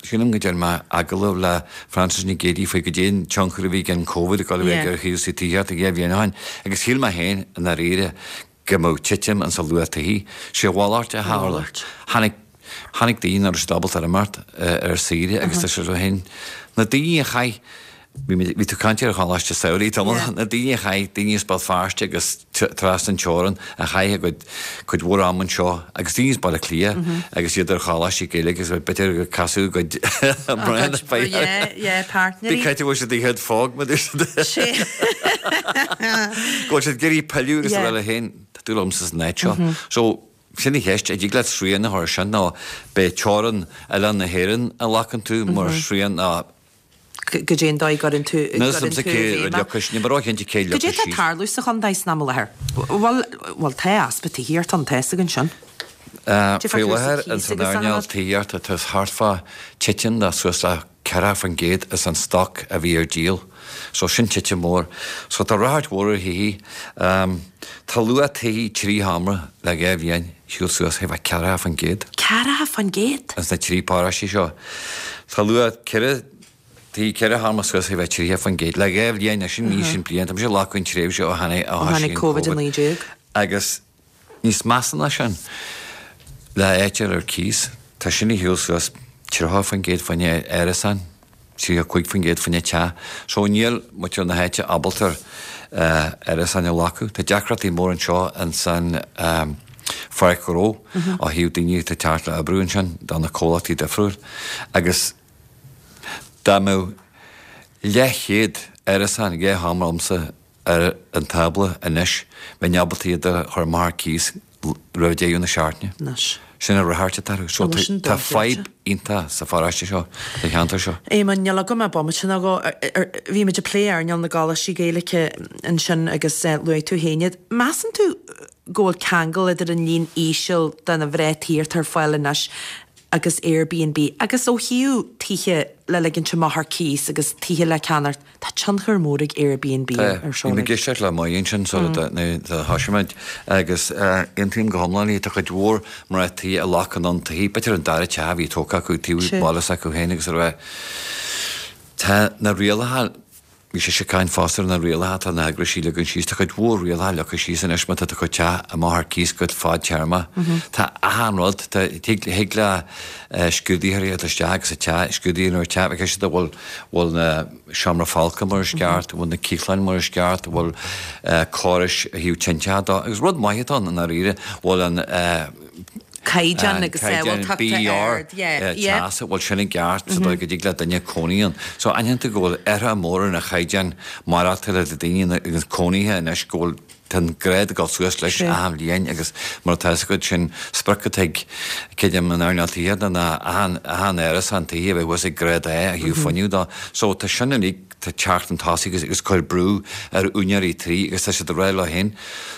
sílim go ndearna mé agallamh le Frances Nic Géadaigh faoi goidé an tionchar a bhí ag an Covid ag dul a bheith ar chúrsaí tithíochta dhá bhliain ó shin agus shíl mé féin i ndáiríre go mbeadh titim insa luach tithí. Sé a mhalairt a tharla. Tháinig, tháinig daoine nach raibh siad ábalta imeacht ar saoire agus tá sé féin, na daoine a chaith, bhí mé, bhí tú ag caint ar Choláiste Samhraidh tamall, na daoine a chaith, daoine as Béal Feirste agus trasna an teorann a chaith a gcuid, cuid mhór ama anseo agus daoine as Baile Átha Cliath agus iad ar choláistí Gaeilge agus b'fhéidir gur casadh a gcuid mná páirtnéirí. Bí cinnte go bhfuil siad ag iad fág mar Sé. Go bhfuil siad ag iarraidh pilleadh agus a rá leo féin, tá dúil agamsa san áit seo. So, sin an cheist, an dtig leat srian a chur ar sin nó beidh teorainn oileán na hÉireann a ghlacann tú mar shrian ná Goidé an dóigh a gcuireann tú Níl a fhios agamsa cé a leagfas, ní bheidh róchinnte cé a Goidé leagfas atá ag síos. tarlú sa chontae san am i láthair? Bhuel, bhuel, tá easpa tithíochta ann, tá fhios againn sin. Faoi láthair ins an earnáil tithíochta tá thart fá titim de suas le 40% as an stoc a bhí ar díol. So sin titim mhór. So tá ráchairt mhór ar thithe. Tá luach tithí 3 sheomra le 2 bhliain shiúl suas thart fá 40%. 40%? Ins na 3 paróiste seo. Tá luach 4 tithí 4 sheomra suas thart fá 30% le 2 bhliain, sin ní sin bliain, tá mise ag glacadh an tréimhse ó tháinig Ó tháinig Covid-19. Agus Níos measa ná sin, le áit ar cíos, tá sin ag siúl suas 30% fá choinne árasán, 35% fá choinne teach. So níl muintir na háite ábalta árasáin a ghlacadh. Tá deacrachtaí mór anseo insan pháirc ghnó ó thaobh daoine atá ag teacht le oibriú ansin do na comhlachtaí difriúil. Agus dá mbeadh leathchéad árasán, 2 sheomra agamsa, ar an tábla anois, bheinn ábalta iad a chur amach ar cíos roimh deireadh na seachtaine. Anois. Sin an ráchairt atá orthu. So tá fadhb iontach sa pharóiste seo, sa cheantar seo. Éamonn, níl agam ach bomaite nó dhó. Bhí muid ag plé earnáil na gcoláistí Gaeilge ansin agus luaigh tú féin iad. Measann tú go bhfuil ceangal idir an líon íseal de na mná tí atá ar fáil anois agus Airbnb agus ó thaobh tithe le ligint amach ar cíos agus tithe le ceannacht, tá tionchar mór ag Airbnb ar seo Bhí mé ag éisteacht le Moya ansin sula thosaigh muid agus aontaím go hiomlán léi, tá cuid mhór mná tí a ghlacann an tithe, b'fhéidir an dara teach a bhí tógtha acu taobh baile s'acu féin agus a raibh tá na rialacha Bhí sise ag caint fosta ar na rialacha atá na heagraisí ag leagan síos. Tá cuid mhór rialacha leagtha síos anois má tá do chuid teach amach ar cíos go fadtéarma. Tá achan rud, tá, thig, thig le scrúdaitheoirí a dhul isteach agus sa teach, scrúdú a dhéanamh ar teach, bheadh siad a bhfuil, bhfuil na seomra folctha mar is ceart, bhfuil na ciathláin mar is ceart, bhfuil córais ó thaobh tinteacha de, agus rud maith atá ann i ndáiríre, bhfuil an, caighdeán agus sábháilteachta ard, yeah, yeah. teasa, bhfuil sin i gceart sa dóigh go dtig le duine cónaí ann. So aithníonn tú go bhfuil athrú mór ar na chaighdeáin maireachtála do daoine agus cónaithe anois go bhfuil tá an grád ag dul suas leis achan bhliain agus mar atá fhios agat sin sprioc atá ag creidim an earnáil tithíochta ná achan achan árasán tithe a bheith thuas ag grád A ó thaobh fuinnimh de. So tá sin uilig Tá teacht chun tosaigh agus ag cur brú ar úinéirí tí agus tá siad ag rá leo féin,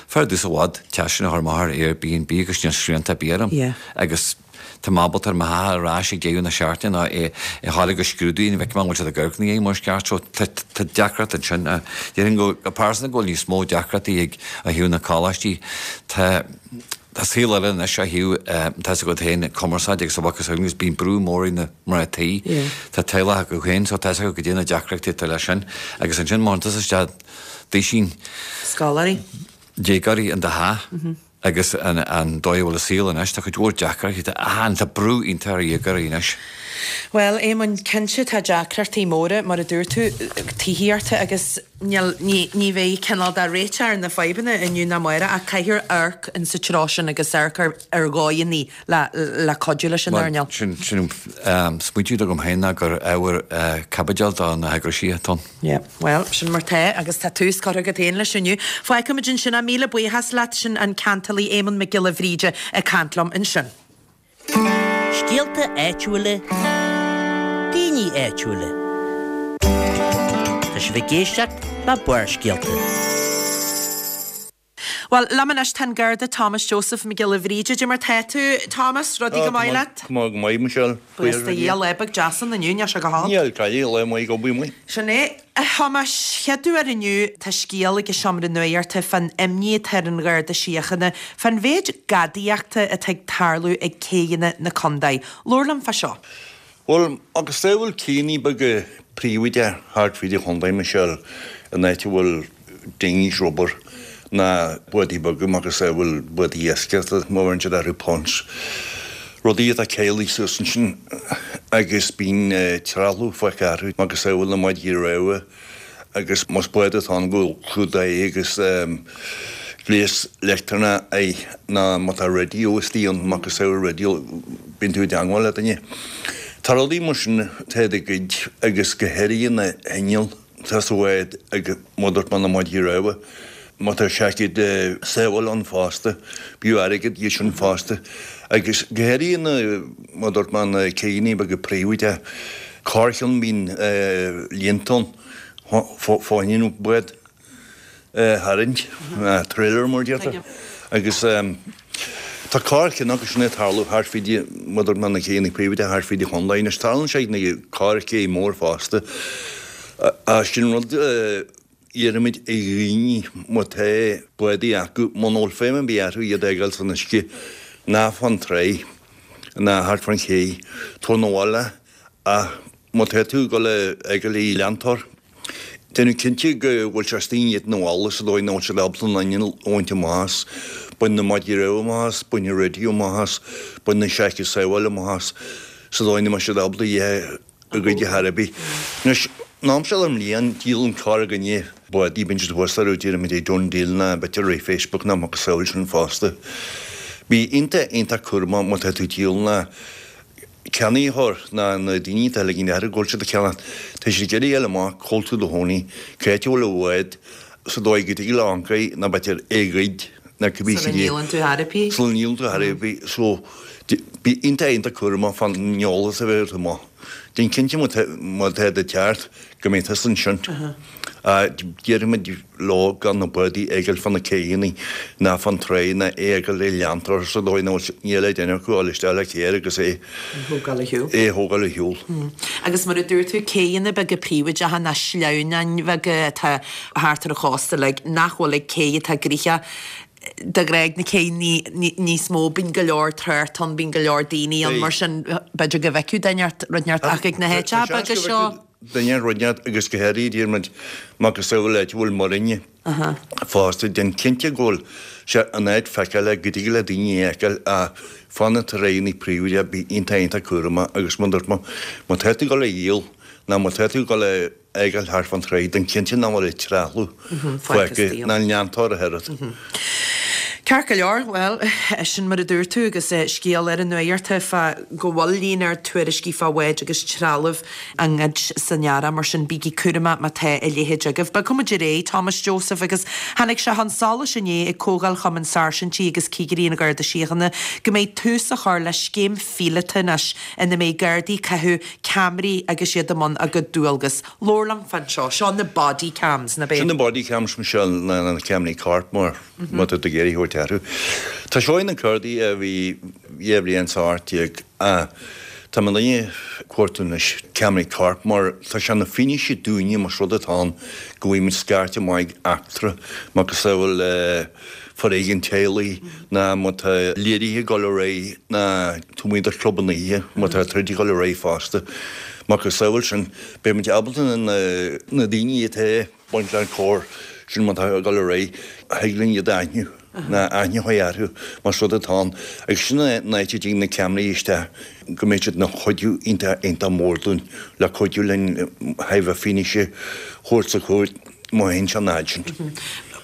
fearr domhsa i bhfad teach sin a chur amach ar Airbnb agus níl srianta ar bith orm agus tá mé ábalta ar mo theach ar ais ag deireadh na seachtaine nó é a fháil agus scrúdú ní bhfeicim an bhfuil siad ag amharc ina dhiaidh mar is ceart so tá deacracht ansin. Déarfainn go pearsanta go bhfuil níos mó deacrachtaí ag ó thaobh na coláistí. Tá Tá saol eile anois ó thaobh, tá fhios agat féin, cumarsáid agus a mhacasamhail agus bíonn brú mór ar na mná tí. Tá teaghlach acu féin so tá fhios agat goidé na deacrachtaí atá leis sin. Agus ansin má théann tusa isteach duisín Scoláirí. déagóirí in do theach agus an dóigh a bhfuil an saol anois, tá cuid mhór deacrachtaí, tá, tá brú iontach ar dhéagóirí anois. Bhuel, Éamonn, cinnte tá deacrachtaí móra, mar a dúirt tú, tithíochta agus níl, ní, ní bheidh cineál de réiteach ar na fadhbanna inniu ná amárach ach caithfear amharc in sa treo sin agus amharc ar, ar dhóigheanna le, le cuidiú leis an earnáil. Sin, sin smaointiú agam féin ná gur ábhar caibidil do na heagraisí atá ann. Yeah, bhuel, sin mar tá agus tá tús curtha agat féin leis inniu. Fágfaimid ansin é, míle buíochas leat, sin an ceantálaí Éamonn Mac Giolla Bhríde ag caint liom ansin. Scéalta áitiúla, daoine áitiúla. Tá sibh ag éisteacht le Barrscéalta. Bhuel, liom anois tá an Garda Thomas Joseph Mac Giolla Bhríde. Cad é mar tá tú, Thomas? Rudaí go maith leat? Tá go maith, Michelle. Buíochas do Dhia, lá beag deas ann inniu, níl sé go holc. Níl, cailleadh lá maith ag obair amuigh. Sin é. A Thomáis, chéad uair inniu tá scéal ag an Seomra Nuachta fán imní atá ar an Gharda Síochána fán mhéid gadaíochta atá ag tarlú ag céidheanna na contae. Labhair liom fá seo. Bhuel, agus dá bhfuil céidheanna beaga príobháideacha thart fríd an chontae, Michelle, in áit a bhfuil dinghies rubber ná bádaí beaga macasamhail bádaí iascaireachta, má bheireann siad orthu punts, rudaí atá caolaithe suas ansin agus bíonn trealamh fágtha orthu, macasamhail na maidí rámha agus más bád atá ann go bhfuil clúdach air agus gléas leictreonach air ná má tá raidió istigh ann, macasamhail raidió, bíonn tú i dteangmháil le duine. Tá rudaí mar sin atá á ggoid agus go háirithe na hinnill. Tá sa bhád ag mar a dúirt mé na maidí rámha. Má tá seaicéad sábhála ann fosta, b'fhiú airgead iad sin fosta. Agus go háirithe na, mar a dúirt mé, na céidheanna beaga príobháideacha. Corrcheann bíonn líonta ann fá choinne an bád a tharraingt, trailer mar a déarfá. Agus tá corrcheann acu sin ag tarlú thart fríd, mar a dúirt mé, na céidheanna príobháideacha thart fríd an chontae. Anois tarlaíonn sé ag na corr-ché mór fosta. Sin rud a iarraimid ar dhaoine má tá bádaí acu, muna bhfuil feidhm ar bith orthu iad a fhágáil san uisce, ná fán tráigh, ná thart fán ché, tabhair 'na bhaile ach má tá tú ag dul a fhágáil i leantóir, Déanamh cinnte go bhfuil sé istigh i ndiaidh an bhalla sa dóigh nach bhfuil siad ábalta an inneall a bhaint amach as, bain na maidí rámha amach as, bain an raidió amach as, bain na seaicéid sábhála amach as, sa dóigh nach mbeidh siad ábalta iad a ghoid ar chor ar bith. Anois, an am seo den mbliain, díolann corrdhuine bádaí, bíonn siad thuas orthu, déarfaimid ag DoneDeal ná b'fhéidir ar Facebook ná macasamhail sin fosta. Bí iontach, iontach cúramach má tá tú ag díol ná ceannaitheoir ná na daoine atá ag ligint orthu go bhfuil siad ag ceannach. Tá siad ag iarraidh a fháil amach cá bhfuil tú i do chónaí, cá háit a bhfuil an bád, sa dóigh go dtig leo amharc air nó b'fhéidir é a ghoid nó cibé Sula ndíolann tú ar bith. Sula ndíolann tú ar bith. So, bí iontach iontach cúramach fán eolas a bheith agat amach. Déan cinnte má tá do cheart go mbeidh tusa ansin. Déarfaimid leo gan na bádaí a fhágáil fá na céidheanna ná fán tráigh ná é a fhágáil i leantóir sa dóigh nach bhfuil níl le déanamh acu dul isteach le carr agus é a thógáil ar shiúl. Agus mar a dúirt tú, céidheanna beaga príobháideacha ná sleamhnáin bheaga atá thart ar an chósta uilig nach bhfuil ag cé atá gnoitheach de ghnáth ag na céidheanna níos mó, bíonn go leor trácht ann, bíonn go leor daoine ann mar sin b'fhéidir go bhfeicfeadh duine ort rud inteacht ach ag na háiteacha beaga seo. duine rud inteacht agus go háirithe déarfaimid macasamhail áit a bhfuil muiríní fosta, déan cinnte go bhfuil sé in áit feiceálach go dtig le daoine é a fheiceáil ach fá na tráigheanna príobháideacha bí iontach iontach cúramach agus mar a dúirt mé má tá tú ag dul a dhíol nó má tá tú ag dul a fhágáil thart fán tráigh déan cinnte nach bhfuil an trealamh fágtha ná an leantóir a oiread. Ceart go leor, bhuel, sin mar a dúirt tú agus scéal ar an nuacht fá go bhfuil líon ard tuairiscí fá bháid agus trealamh á ngoid san earrach, mar sin bígí cúramach má tá a leithéid agaibh. Bogfaimid ar aghaidh, Thomas Joseph, agus tháinig sé chun solais inné ag Comhdháil Chumann Sáirsintí agus Cigirí an Gharda Síochána go mbeidh tús á chur le scéim phíolóta anois ina mbeidh Gardaí ag caitheamh ceamaraí agus iad i mbun a gcuid dualgas. Labhair liom fán seo. Seo na body cams, nach ea? Sin na body cams, Michelle, ná na ceamaraí coirp mar má tá tú ag iarraidh a thabhairt orthu. Tá seo ag na Gardaí a bhí 18 bhliain is ach tá muidne ag cuartú anois ceamaraí coirp mar tá sé ina fianaise dúinne más rud atá ann go bhfaighimid scairt amach ag eachtra macasamhail foréigean teaghlaigh ná má tá léirithe ag dul ar aghaidh ná taobh amuigh de chlubanna oíche má tá troid ag dul ar aghaidh fosta. Macasamhail sin beidh muid ábalta na daoine atá ag baint le an choir sin má tá ag dul ar aghaidh thig linn iad a aithniú. Ná aithne a chur orthu más rud atá ann agus sin an áit a dtig na ceamaraí isteach go mbeidh siad ina chuidiú iontach iontach mór dúinn le cuidiú linn thaobh fianaise a thabhairt sa chúirt má théann sé an fhad sin.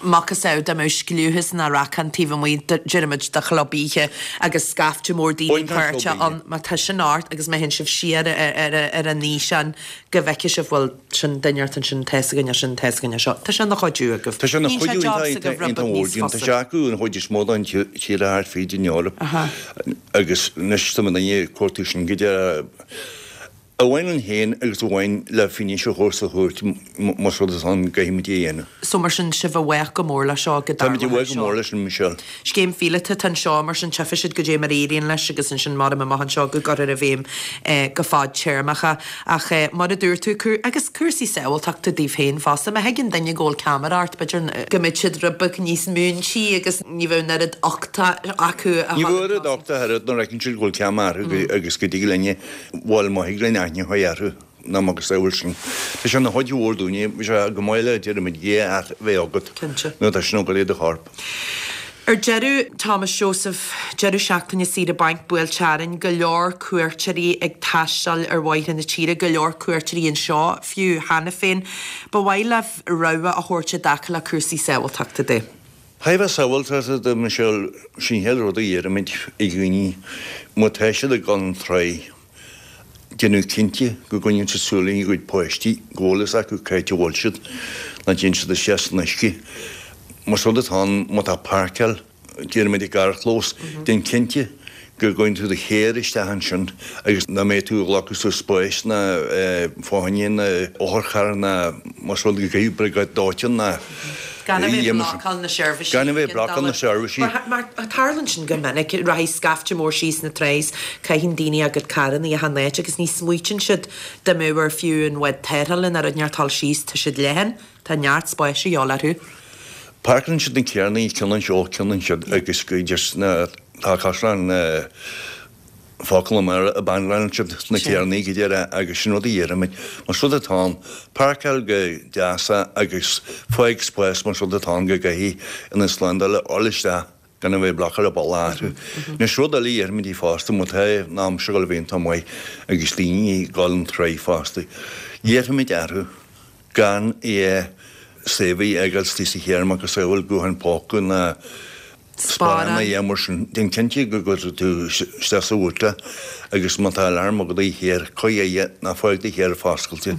Macasamhail dá mbeadh scliúchas ná racán taobh amuigh deirimid de chlub oíche agus scaifte mór daoine páirteach ann má tá sin ort agus má théann sibh siar ar an fhíseán go bhfeicfidh sibh bhuel sin duine ort ansin tá 'fhios againn é sin tá 'fhios againn é seo. Tá sé ina chuidiú agaibh. Tá sé ina chuidiú iontach mór dúinn. Tá sé acu an chuid is mó den tír thart fríd an Eoraip agus anois tá muidne ag cuartú sin go deireadh a bhain linn féin agus a bhain le fianaise a thabhairt sa chúirt más rud atá ann go gcaithfimid é a dhéanamh. So mar sin sibh i bhfách go mór leis seo go Táimid i bhfách go mór leis sin Michelle. Scéim phíolóta atá anseo, mar sin tchífidh siad goidé mar a éiríonn leis agus ansin maram amach anseo go gcuirfear i bhfeidhm go fadtéarmach é. Ach mar a dúirt tú, agus cúrsaí sábháilteachta daoibh féin fosta, má thuigeann duine go bhfuil ceamara ort, b'fhéidir go mbeidh siad rud beag níos múintí agus ní bheadh an oiread uchta acu a Ní bheadh oiread uchta oiread nuair a fheiceann siad go bhfuil ceamara orthu agus go dtig linne, bhuel má thig linn aithne a chur orthu. Ná macasamhail sin. Tá sé ina chuid mhór dúinne, bhí sé go maith le deirimid dhia a bheith agat Cinnte. nuair atá sin ag goil i do chorp. Ar deireadh, Thomas Joseph, deireadh seachtaine saoire bainc buailte orainn, go leor cuairteoirí ag taisteal ar bhóithre na tíre, go leor cuairteoirí anseo fiú cheana féin. Ba mhaith libh rabhadh a thabhairt i dtaca le cúrsaí sábháilteachta de. Thaobh sábháilteachta de, Michelle, sin an chéad rud a deirimid ag dhaoine, má tá siad ag dul an tráigh, déanamh cinnte go gcoinníonn siad súil ar a gcuid páistí, go bhfuil fhios acu cá háit a bhfuil siad, nach dtéann siad isteach san uisce. Más rud atá ann, má tá páirceáil, déarfaimid i gcarrchlós, déan cinnte go gcuireann tú do charr isteach ansin agus nach mbeidh tú ag glacadh suas spáis ná fáinne ná otharcharr ná más rud go gcaithfidh briogáid dóiteáin ná Gan a bheith ag blocáil na seirbhísí. Gan a bheith ag blocáil na seirbhísí. Mar tarlaíonn sin go minic, rachaidh scaifte mór síos na trá is caitheann daoine a gcuid carrannaí achan áit agus ní smaoitíonn siad dá mbeadh ar fiú an bhád tarrthála nó rud inteacht dul síos, tá siad leathan, tá neart spáis a dhíobháil orthu. Páirceálann siad na carrannaí ceann anseo, ceann ansiúd agus go just na, tá caisleán na. focal mar a banglálann siad na carrannaí go deireadh agus sin rud a deirimid. Más rud atá ann, páirceáil go deas agus fág spás más rud atá ann go gcaithfidh ina slándáil a fháil isteach gan a bheith ag blocáil an bealach orthu. Anois rud eile a deirimid fosta má tá an aimsir ag dul a bheith iontach maith agus daoine ag dul an tráigh fosta, iarrfaimid orthu gan aon saobhadh a fhágáil istigh sa charr macasamhail guthán póca ná sparán ná aon mar sin. Déan cinnte go gcuirfidh tú isteach sa bhúta agus má tá alarm agat i do charr, cuir é, ná fág do charr foscailte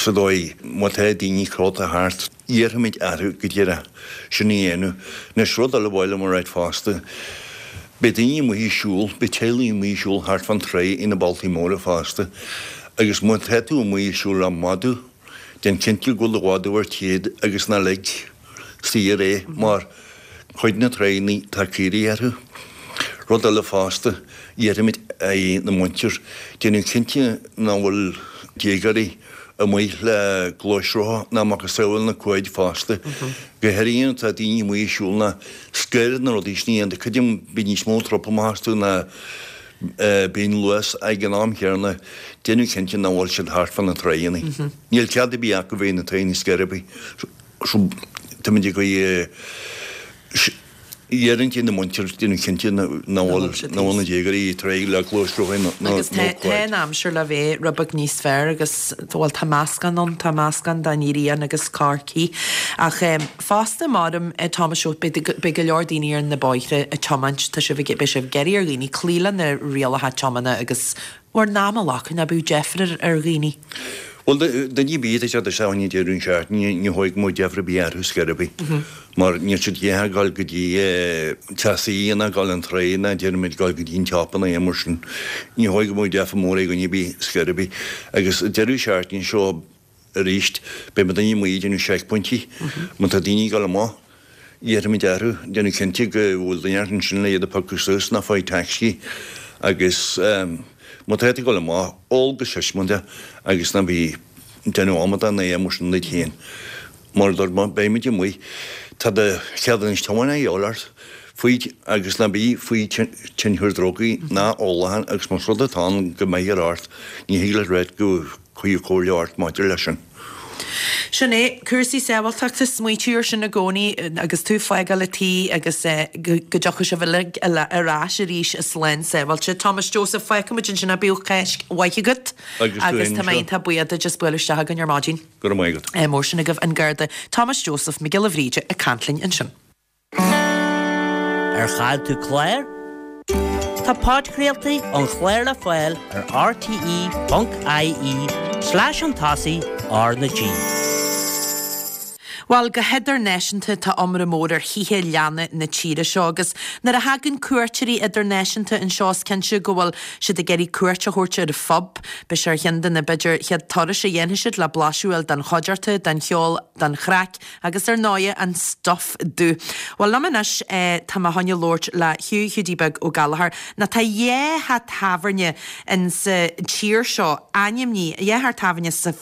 sa dóigh má tá daoine crochta thart, iarrfaimid orthu go díreach sin a dhéanamh. Anois rud eile ba mhaith liom a ráit fosta, beidh daoine amuigh ag siúl, beidh teaghlaigh amuigh ag siúl thart fán tráigh ina bealtaí móra fosta agus má tá tú amuigh ag siúl le madadh, déan cinnte go bhfuil do mhadadh ar téad agus ná lig saor é mar cuid na tráigheanna tá caoirigh orthu. Rud eile fosta, iarrfaimid ar na muintir déanamh cinnte nach bhfuil déagóirí amuigh le gluaisrotha ná macasamhail na quaid fosta. Go háirithe nuair atá daoine amuigh ag siúl ná scoir na rudaí sin a dhéanamh. Creidim bíonn níos mó trupam astu ná bíonn luas ag an am chéanna déanamh cinnte nach bhfuil siad thart fá na tráigheanna. Níl cead ar bith acu bheith na tráigheanna scor ar bith. So táimid ag iarraidh ar na muintir déanamh cinnte nach bhfuil na déagóirí ag tráigh le gluaisrothaí nó Agus tá quaid. an aimsir le bheith rud beag níos fearr agus bhuel tá meascán ann, tá meascán den ghrian agus corcaí. Ach fosta maram Thomas Joe beidh beidh go leor daoine ar na bóithre ag tiomáint, tá sibh ag beidh sibh ag iarraidh ar dhaoine cloí le na rialacha tiomána agus bhur n-am a ghlacadh ná bíodh deifir ar dhaoine. Bhuel, duine ar bith atá ag teacht isteach ón deireadh seachtaine, ní dóigh go mbeadh deifir ar bith orthu scor ar bith, mar níl siad ag dul go dtí teasaí ná dul an tráigh ná déarfaimid dul go dtí an tsiopa ná aon mar sin. Ní dóigh go mbeadh deifir mór ag dhuine ar bith scor ar bith. Agus an deireadh seachtaine seo arís, beidh daoine amuigh ag déanamh seicphointí. Má tá daoine ag dul amach, Iarrfaimid orthu déanamh cinnte go bhfuil duine ansin le iad a phiocadh suas ná faigh tacsaí agus má tá tú ag dul amach, ól go siosmanta agus ná bí ag déanamh amadán ná aon mar sin duit féin. Mar a dúirt mé, beimid amuigh. Tá do cheadúnas tiomána a dhíobháil ort faoi agus ná bí faoi tionchar drugaí ná ólacháin agus más rud atá ann go mbeifear ort, ní thig leat ráit go cuirfear comhairle ort maidir leis sin. Sin é, cúrsaí sábháilteachta, smaoitiú ar sin i gcónaí agus tú ag fágáil an tí agus go dtiocfaidh sibh uilig ar ais arís slán sábháilte. Thomas Joseph, fágfaidh muid ansin é, bíodh Cáisc mhaith agat Agus tú agus féin tá mé anseo. iontach buíoch duit as bualadh isteach againn ar maidin. Go raibh maith agat. Ádh mór sin agaibh, an Garda Thomas Joseph Mac Giolla Bhríde ag caint linn ansin. Ar chaill tú clár? Tá podchraoltaí an chláir le fáil ar rte.ie slash chun tosaigh R na G. Bhuel, go hidirnáisiúnta tá iomrá mór ar thithe leanna na tíre seo agus nuair a thagann cuairteoirí idirnáisiúnta anseo is cinnte go bhfuil siad ag iarraidh cuairt a thabhairt ar an phub. Beidh sé ar cheann de na, b'fhéidir, chéad turais a dhéanfaidh siad le blaiseadh a fháil den chuideachta, den cheol, den chraic agus ar ndóighe an stuif dubh. Bhuel, liom anois tá mé chun labhairt le Hugh Hiúdaí Beag Ó Gallchóir. Nó tá dhá theach tábhairne in sa tír seo ainmnithe, dhá theach tábhairne sa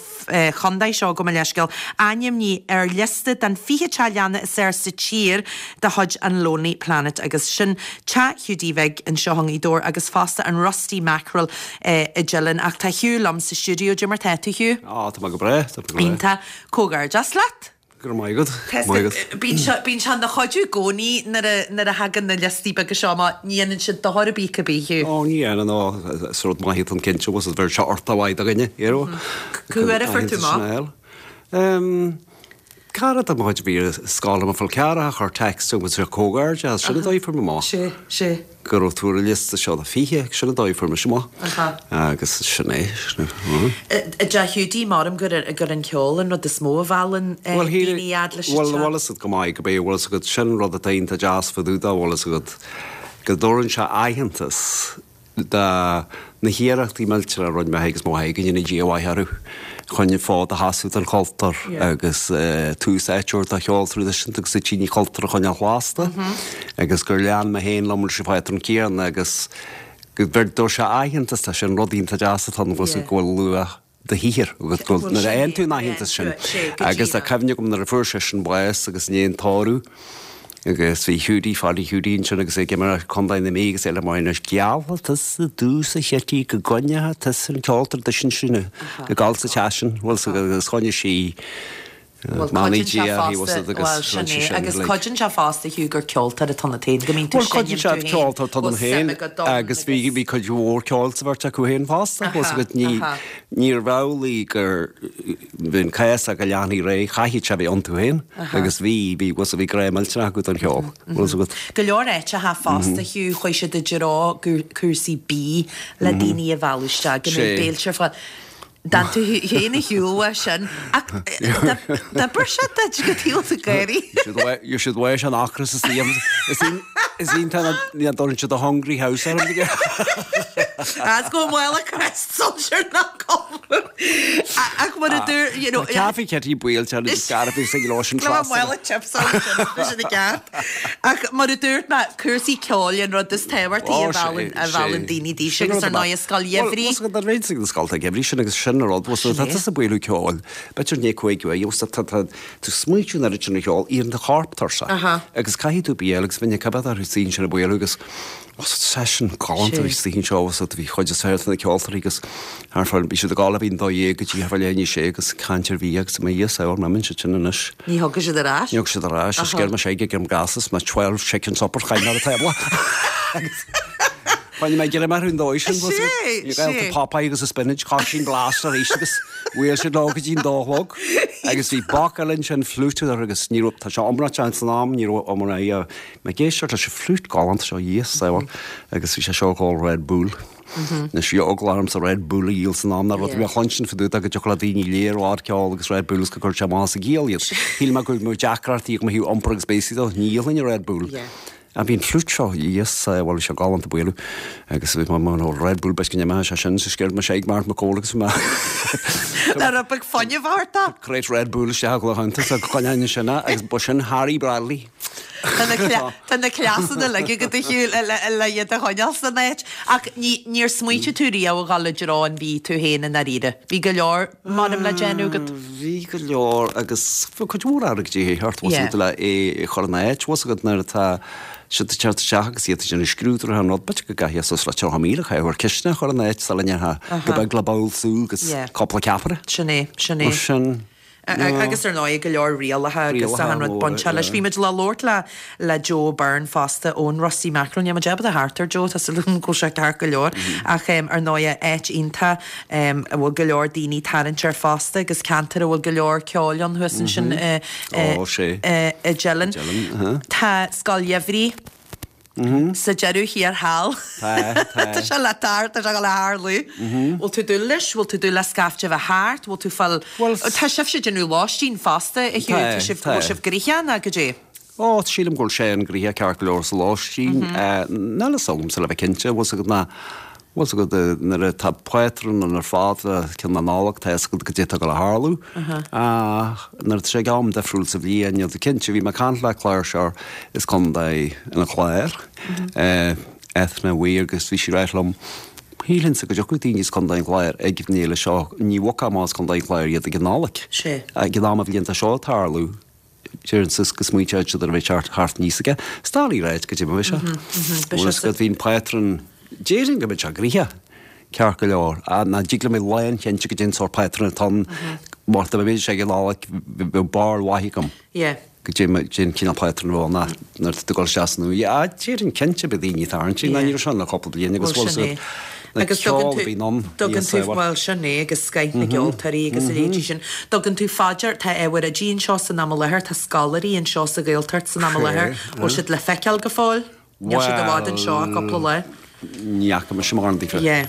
chontae seo, gabh mo leithscéal, ainmnithe ar liosta den 20 teach leanna is fhearr sa tír de chuid an Lonely Planet agus sin Teach Hiúdaí Bhig anseo i nGaoth Dobhair agus fosta an Rusty Mackerel i dTeileann. Ach tá Hugh liom sa stiúideo. Cad é mar tá tú, Hugh? Á, tá mé go breá, tá mé go breá. Iontach. Comhghairdeas leat. Go raibh maith agat. Go raibh maith agat. Bíonn sé, bíonn sé ina chuidiú i gcónaí nuair a, nuair a thagann na liostaí beaga seo amach, ní dhéanann siad dochar ar bith cibé, Hugh. Ó, ní dhéanann, ó, is rud maith atá ann cinnte, bhfuil fhios agat, bheir sé ort a mhaith do dhuine, you know. Cá huair a fuair tú amach? Em, cara de mo chuid a bhí ar scoil liom, mo chol ceathracha, a chuir text chugam agus comhghairdeas, sin an dóigh a fuair mé amach. Sé, sé. go raibh tú ar an liosta seo de 20, sin an dóigh a fuair mise amach. Agus sin é, sin é. I dTeach Hiúdaí, maram gur gur an ceol an rud is mó a mheallann daoine a fhad leis an Bhuel, teach. bhfuil fhios agat go maith go bé, bhfuil fhios agat, sin rud atá iontach deas fá dtaobh de, bhfuil fhios agat, go dtabharann sé aitheantas do na hiarrachtaí millteacha a rinne mé agus mo mháthair, go ndéana Dia a mhaith orthu, chun an fód a sheasamh don chultúr agus tús áite a thabhairt do cheol traidisiúnta agus an cultúr a choinneáil lasta agus gur lean mé féin liom leis an phátrún céanna agus go dtabharfaidh sé aitheantas, tá sin rud iontach deas atá ann go bhfuil luach do shaothair agus go bhfuil nuair a fhaigheann tú an aitheantas sin agus tá cuimhne agam nuair a fuair seisean bás agus i ndiaidh an tórramh agus bhí Hiúdaí, Pháidí Hiúdaí ansin agus é ag imirt Contae na Mí agus é le mar anois geallfaidh tusa domhsa a Chití go gcoinneoidh tusa an ceol traidisiúnta sin ag gabháil sa teach sin bhfuil 's agus choinnigh sí Bhuel, cuidíonn sé fosta, bhuel, sin é, agus cuidíonn sé fosta, Hugh, gur ceoltóir atá ionat féin, go mbíonn tú ag Bhuel, seinm tú féin, ceoltóir atá bhfuil ionam suim féin agat ann agus bhí, bhí cuid mhór ceoil sa bheirt acu féin fosta, bhfuil 's agat, ní, níorbh amhlaidh gur, bhí an cás go leanfaí ar aghaidh, chaithfeadh sé a bheith iontu féin agus bhí, bhí, bhfuil 's bhí grá millteanach acu don cheol, bhfuil 's agat. Go leor áiteacha fosta, Hugh, chuaigh siad i dtreo cúrsaí bídh le daoine a mhealladh isteach, go mbeadh béilte ar fáil. D'fhan tú féin ar shiúl uaidh sin ach d'oibir sé duit go taobh ag gáirí. You should weigh an ocras is the is iontach na dtugann siad the hungry house orm. As go bhfuil a crest soldier ná Ach mar a dúirt you know. Café Kitty buailte agus Scarface ag leis an trasna. Bhuel chips sin i gceart. Ach mar a dúirt mé cúrsaí ceoil an rud is tábhachtaí a mheallann a mheallann daoine daoibhse agus ar ndóigh scoil gheimhridh. Bhuel, tá réiteach ag na scolta geimhridh sin agus sin an rud, bhuel, tá tusa ag bualadh ceoil, b'fhéidir i ndiaidh 5 uair, you know, tá tú ag smaointiú an oiread sin ar cheol, iarrann do chorp tuirseach agus caithfidh tú bia a fháil agus bhí na cibé orthu istigh ansin ag bualadh agus session galánta a bhí istigh anseo agus bhí chuid is fearr de na ceoltóirí agus thart fá, bhí siad ag gabháil a bhí an 12 go dtí thart fá leath i ndiaidh a sé agus caint ar bhia agus mo Dhia saor, maimeann siad sin anois. Ní thiocfaidh siad ar ais? Ní thiocfaidh siad ar ais, is sciorr mise ag an gcás is mo 12 chicken supper chaith mé ar an tábla. Agus choinnigh mé greim orthu an dóigh sin. Sé, Bhí gaolta sé. Popeye agus a spinach, coisín glas arís agus bhuail siad leo go dtí an dó a chlog. Agus bhí boc eile ansin, flute agus ní raibh, tá sé iomráiteach san am, ní raibh iomráiteach Mé ag éisteacht leis an flute galánta seo, Dhia saor, agus bhí sé seo ag ól Red Bull. Anois bhí eagla ormsa Red Bull a dhíol san am, ná rud a bhí á chluinstin fá dtaobh de go dtiocfadh le daoine léir ard ceol agus Red Bull agus go gcuirfeadh sé amach as a gciall iad. Shíl mé go mbeadh deacrachtaí agam ó thaobh iompair agus béasaí dó, ní dhíolfainn an Red Bull. Ach bhí an flute seo, Dhia saor, bhuel bhí sé galánta bualadh agus bhí mé mar Red Bull b'fhéidir go n-imeodh sé sin, so sciorr mise ag Martin McCole agus bhí mé Le rud beag fuinnimh a thabhairt dó. Crate Red Bull isteach i gclochánta so coinneáin sin agus ba sin Harry Bradley. Tá na cleasanna uilig agat a Hugh le iad a choinneáil san áit. Ach níor smaointigh tú riamh a dhul i dtreo an bhídh tú féin i ndáiríre. Bhí go leor, measaim, le déanamh agat. Bhí go leor agus bhí cuid mhór airgid de dhíth ort, bhfuil 's agat, le é a chur in áit, bhfuil 's agat, nuair atá siad ag teacht isteach agus iad ag déanamh scrúduithe an rud, b'fhéidir go gcaithfeá suas le 30,000 a chaitheamh ar chistin a chur in áit sula ndéarfá go beag le babhal sú agus cúpla ceapaire. Sin é, sin é. Mar sin. Agus ar ndóigh go leor rialacha agus achan rud bainteach leis. Bhí muid le labhairt le le Joe Byrne fosta ón Rusty Mackerel. Níl muid ábalta theacht ar Joe, tá súil agam go bhfuil sé ceart go leor. Ach ar ndóigh áit iontach a bhfuil go leor daoine ag tarraingt air fosta agus ceantar a bhfuil go leor ceoil ann thuas ansin i i dTeileann. Tá Scoil Gheimhridh sa deireadh thiar thall. Tá, tá. Tá sé le tar, tá sé le tharlú. Bhfuil tú ag dúil leis? Bhfuil tú ag dúil le scaifte a bheith thart? Bhfuil tú fáil. Tá sibhse ag déanamh lóistín fosta, a Hugh. Tá, Tá sibh, tá. bhfuil sibh gnoitheach nó goidé? Ó, sílim go bhfuil sé an-ghnoitheach ceart go leor sa lóistín. Níl fhios agamsa le bheith cinnte, bhfuil 's agat ná, bhfuil 's agat nuair atá pátrún ann ar fad le ceann na Nollag, tá fhios agat goidé atá ag dul a tharlú. Ach nuair atá sé ag am difriúil sa bhliain, níl tú cinnte. Bhí mé ag caint le cláirseoir as Contae an Chláir, Eithne Weir, agus bhí sí ag ráit liom, Shílfinnse go dtiocfadh daoine as Contae an Chláir ag an fhéile seo, ní bhogfá amach as Contae an Chláir iad ag an Nollaig. Ag an am a bhíonn seo ag tarlú. Deireann siad go smaointeoidh siad ar a bheith thart thart níos aige. Is doiligh a ráit goidé mar a bheidh sé. Bhfuil fhios agat, bhí an pátrún, déarfainn go mbeidh sé gnoitheach, ceart go leor. Ná dtig liom a bheith lánchinnte goidé an sórt pátrún atá ann. Mar dá mbeadh sé ag an Nollaig, bheadh barúil mhaith agam. Goidé an cineál pátrún a bheadh ann nuair atá tú ag dul isteach san uaigh. Déarfainn cinnte beidh daoine ag tarraingt, ná ní raibh sé ann le cúpla bliain agus Bhuel bhfuil sin fhios é. agat, na Agus tugann ceol tú, a bhíonn ann, tugann níos tú, saibhir. bhuel sin é agus scoith na gceoltóirí agus a leithéidí sin. Tugann tú fá dear, tá ábhair oidí anseo san am i láthair, tá scoláirí anseo sa Ghaeltacht san am i láthair, bhfuil siad le feiceáil go fóill? Níl siad i bhfad anseo ach cúpla lá. Ní fhaca mise mórán daofa. Yeah.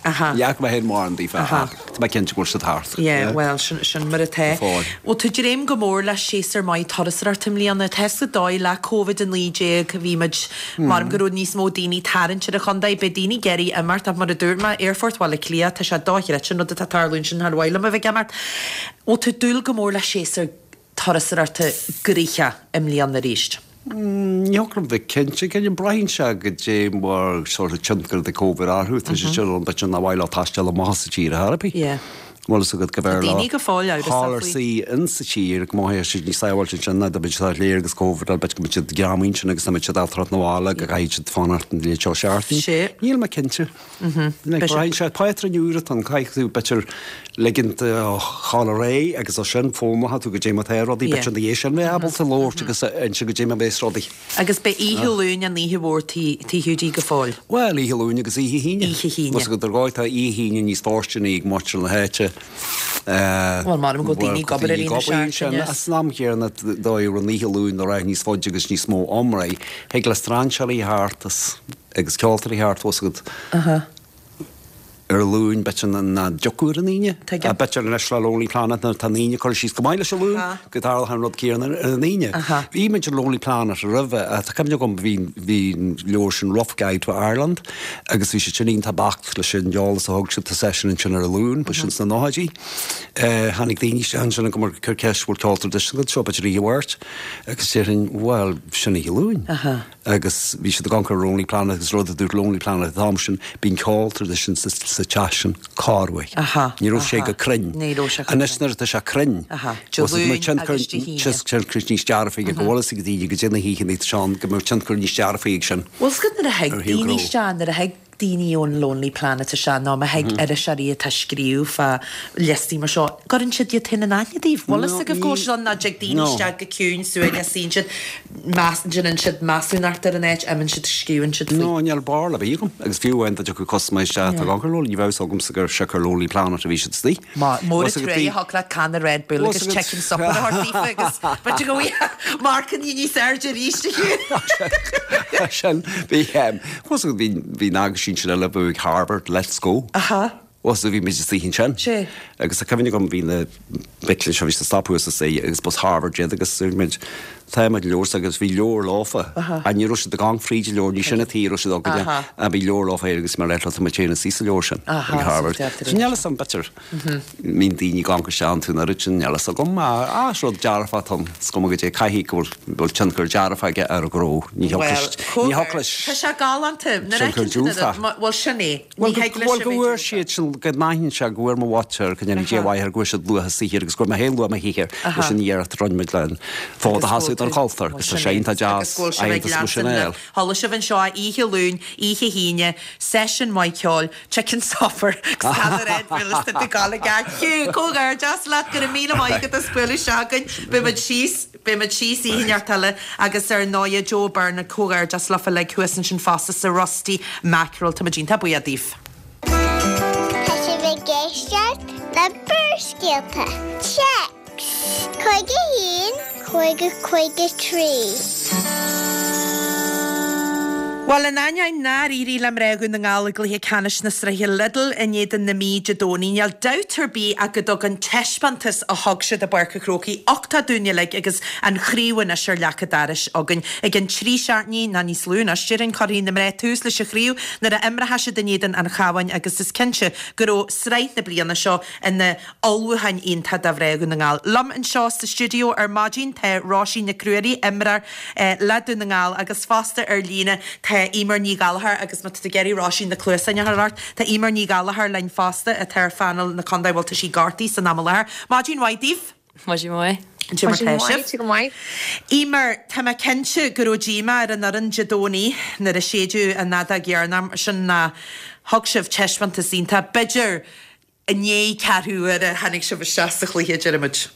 Aha. Ní fhaca mé féin mórán daofa Aha. ach tá mé cinnte go bhfuil siad thart. Yeah, bhuel, sin, sin mar atá. Go fóill. Bhfuil tú ag dréim go mór le séasúr maith turasóireachta i mbliana? Tá sa dóigh le Covid-19 bhí muid, maram go raibh níos mó daoine ag tarraingt ar an chontae, beidh daoine ag iarraidh imeacht ach mar a dúirt mé, Aerfort Bhaile Átha Cliath, tá sé dochreidte an rud atá ag tarlú ansin, char mhaith liom a bheith ag imeacht. Bhfuil tú ag dúil go mór le séasúr turasóireachta gnoitheach i mbliana arís? Ní thiocfadh liom bheith cinnte, cinnte braitheann sé goidé mar sort of tionchar de Covid orthu, tá sé sin ann b'fhéidir nár mhaith leo taisteal amach as an tír ar chor ar bith. Yeah. Bhfuil fhios agat go Tá mb'fhearr leo daoine go fóill amhrasach dhul ar faoi. suí insa tír go mothaíonn siad níos sábháilte ansin ná dá mbeidh siad thar lear agus Covid ann b'fhéidir go mbeidh siad greamaithe ansin agus ná mbeidh siad ábalta teacht 'na bhaile go gcaithfidh siad fanacht an léid seo seachtain. Sé. Níl mé cinnte. Braitheann sé pátrún úr atá ann, caithfidh tú b'fhéidir ligint dó dhul ar aghaidh agus as sin foghlaimeoidh tú goidé mar atá rudaí, b'fhéidir ina dhiaidh sin bheith ábalta labhairt agus inse goidé mar a bheas rudaí. Agus beidh oíche Luain an oíche mhór Tigh Hiúdaí go fóill. Bhuel, oíche Luain agus oíche hAoine. Oíche hAoine. Más agat ar dhóigh tá oíche hAoine níos fóirsteanaí ag muintir na háite. Bhuel, maram go bhfuil daoine ag obair ar Aoine seachtaine. Ach san am chéanna, dóigh a raibh an oíche Luain ag rá níos faide agus níos mó iomrá, thig le strainséirí theacht as. agus ceoltóirí theacht bhfuil fhios agat ar an Luan b'fhéidir nach dtiocfadh ar an Aoine. Tuigim. B'fhéidir anois le Lonely Planet nuair atá an Aoine curtha síos go maith leis an Luan go dtarlódh an rud céanna ar an Aoine. Bhí muid ar Lonely Planet roimhe, tá cuimhne agam bhí bhí an leabhar sin Rough Guide to Ireland agus bhí siad sin iontach beacht leis an eolas a thug siad tá seisean ansin ar an Luan, ba sin sna nóchaidí. Tháinig daoine isteach ansin ag cur ceist bhfuil ceol traidisiúnta anseo b'fhéidir oíche Mháirt agus déarfainn bhuel sin oíche Luain. Agus bhí siad ag amharc ar Lonely Planet agus rud a dúirt Lonely Planet an t-am sin, bíonn ceol traidisiúnta sa sa teach sin corruair. Aha, Ní raibh sé aha. go cruinn. Ní raibh sé go Anois cruinn. nuair atá sé cruinn, Aha. Dé bhfuil fhios agat, Luain tionchar agus Dé hAoine. tionchar níos dearfaí ag go bhfuil fhios ag daoine goidé na hoícheanna atá ann, go mbeadh tionchar níos dearfaí ag sin. Bhfuil fhios agat nuair a thig Ar thaobh daoine gnó. isteach, nuair a thig daoine ón Lonely Planet isteach nó má thig iriseoirí atá ag scríobh fá liostaí mar seo, gcuireann siad iad féin in aithne daoibh. Bhfuil fhios agaibh go bhfuil siad ann nó dtig daoine isteach go ciúin suaimhneach suíonn siad, meas, déanann siad measúnacht ar an áit, imíonn siad, scríobhann siad faoi. No, níl barúil ar bith agam. Agus fiú amháin dá dtiocfadh custaiméir isteach atá ag amharc ar Lonely, ní bheadh fhios agamsa gur siocair Lonely Planet a bhí siad istigh. Mór an truaighe a thug leat canna Red Bull agus chicken supper a thabhairt daofa agus b'fhéidir go bhfuil marcanna níos airde arís a Hugh. Sin, bhí, bhfuil fhios agat, bhí, bhí an aguisín sin eile a bhuaigh Harvard, Let's Go. Aha. Bhfuil fhios agat, bhí muid istigh ansin. Sé. Agus tá cuimhne agam, bhí na mic léinn seo, bhí siad ag stopadh thuas istigh agus b'as Harvard iad agus dúirt muid, tá muid leabhar agus bhí leabhar leofa. Aha. Ní raibh siad ag amharc fríd an leabhar, ní sin an taobh a raibh siad againne. Aha. Ach bhí leabhar leofa air agus mar eile, tá muid féin istigh sa leabhar sin Aha, ag Harvard. so deirtear So níl fhios agam, b'fhéidir, mbíonn daoine ag amharc isteach iontu an oiread sin, níl fhios agam, ach is rud dearfach atá ann, is cuma goidé, caithfidh go bhfuil go bhfuil tionchar dearfach aige ar an ghnó, ní Bhuel, thiocfadh ní thiocfadh leis tá sé galánta, nuair a tionchar fheiceann tú na diúltach. bhuel sin é, Bhuel, ní thig leis bhuel, a go bheith bhfuair diúltach. siad sin, go n-aithníonn sé go bhfuair mo mhuintir, go ndéana Dia mhaith air, go bhfuair siad luath a saothair agus go bhfuair mé féin luath mo shaothair leis an iarracht a rinne muid le an fód a Agus sheasamh. don chultúr agus tá sé iontach deas aitheantas mar sin a fháil. Chuala sibh anseo oíche Luain, oíche hAoine, seisiún maith ceoil, chicken supper agus cad a raibh bhuel is tú ag gabháil ag Hugh, comhghairdeas leat, go raibh míle maith agat as bualadh isteach chugainn. Beidh muid síos, beidh muid síos oíche inteacht eile agus ar ndóighe Joe Byrne, comhghairdeas libh uilig thuas ansin fosta sa Rusty Mackerel. Tá muid iontach buíoch daoibh. Tá sibh ag éisteacht le Barrscéalta. Téacs 51 50 53. Bhuel, in ainneoin nár éirigh le mná Dhún na nGall i gcluiche ceannais na sraithe Lidl in éadan na Mí Dé Domhnaigh, níl dabht ar bith ach go dtug an taispeántas a thug siad i bPáirc an Chrócaigh uchtach dúinn uilig agus an chraobh anois ar leac an dorais againn. I gcionn 3 seachtainí, nó níos lú anois, déarfainn, cuirfidh na mná tús leis an chraobh nuair a imreoidh siad in éadan an Chabháin agus is cinnte go raibh sraith na bliana seo ina ullmhúchán iontach do mhná Dhún na nGall. Liom anseo sa stiúideo ar maidin tá Róisín Nic Ruairí, imreoir le Dún na nGall agus fosta ar líne tá Eimear Ní Ghallchóir agus má tá tú ag iarraidh Róisín na cluasáin a chur ort, tá Eimear Ní Ghallchóir linn fosta atá ar phainéal na contae, bhuel tá sí gortaithe san am i láthair. Maidin mhaith daoibh! Maidin mhaith. Cad é mar Maidin tá mhaith, sibh? tú go maith. Eimear, tá mé cinnte go raibh díomá ar an fhoireann Dé Domhnaigh nuair a séideadh an fheadóg dheireanach sin ná thug sibh taispeántas iontach. B'fhéidir i ndiaidh ceathrú uaire tháinig sibh isteach sa chluiche, deirimid.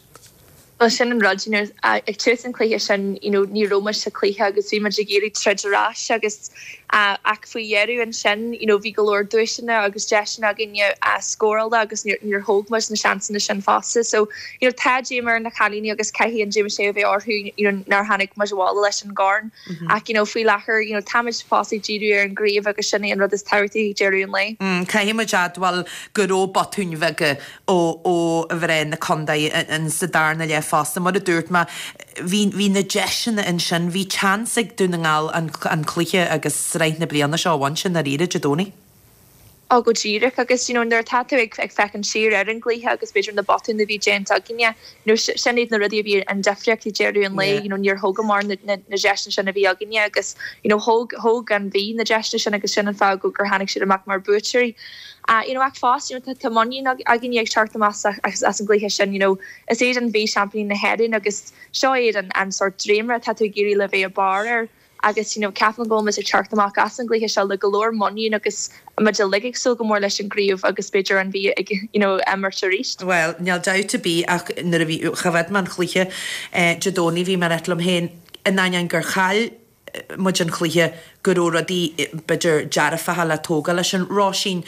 Bhuel sin an rud, you know, ag tús an chluiche sin, you know, ní raibh muid sa chluiche agus bhí muid ag iarraidh troid ar ais agus ach faoi dheireadh ansin, you know, bhí go leor duaiseanna agus deiseanna againne scóráil agus níor, níor thóg muid na seansanna sin fosta. So, you know, tá díomá ar na cailíní agus caithfidh an díomá sin a bheith orthu, you know, nár tháinig muid abhaile leis an gcorn. Ach, you know, faoi láthair, you know, táimid fós ag díriú ar an gcraobh agus sin é an rud is tábhachtaí ag deireadh an lae. Caithfidh muid a admháil go raibh botúin bheaga ó ó mhná na contae in sa darna leath fosta. Mar a dúirt mé, bhí bhí na deiseanna ansin, bhí chance ag Dún na nGall an an cluiche agus sraith na bliana seo a bhaint i ndáiríre Dé Domhnaigh. Ó go díreach agus you know nuair atá tú ag ag féachaint siar ar an gcluiche agus b'fhéidir na botúin a bhí déanta againne, you know sin iad na rudaí a bhí an difríocht ag deireadh an lae, you know níor thógamar na na na deiseanna sin a bhí againne agus you know thóg thóg an Mhí na deiseanna sin agus sin an fáth go gur tháinig siad amach mar buaiteoirí. Ah you know ach fós you know tá tá muinín againne ag teacht amach as as an gcluiche sin you know is iad an Mhí seaimpíní na hÉireann agus seo iad an an sórt dréimire atá tú ag iarraidh le bheith ag barr air. Agus you know ceapaim go bhfuil muid ag teacht amach as an gcluiche seo le go leor muinín agus muid uilig ag súil go mór leis an gcraobh agus b'fhéidir an Mhí ag you know imirt arís. Bhuel, níl dabht ar bith ach nuair a bhí, choimhéad mé an chluiche Dé Domhnaigh bhí mé ag ráit liom féin, in ainneoin gur chaill muid an chluiche, go raibh rudaí b'fhéidir dearfacha le tógáil leis sin. Róisín,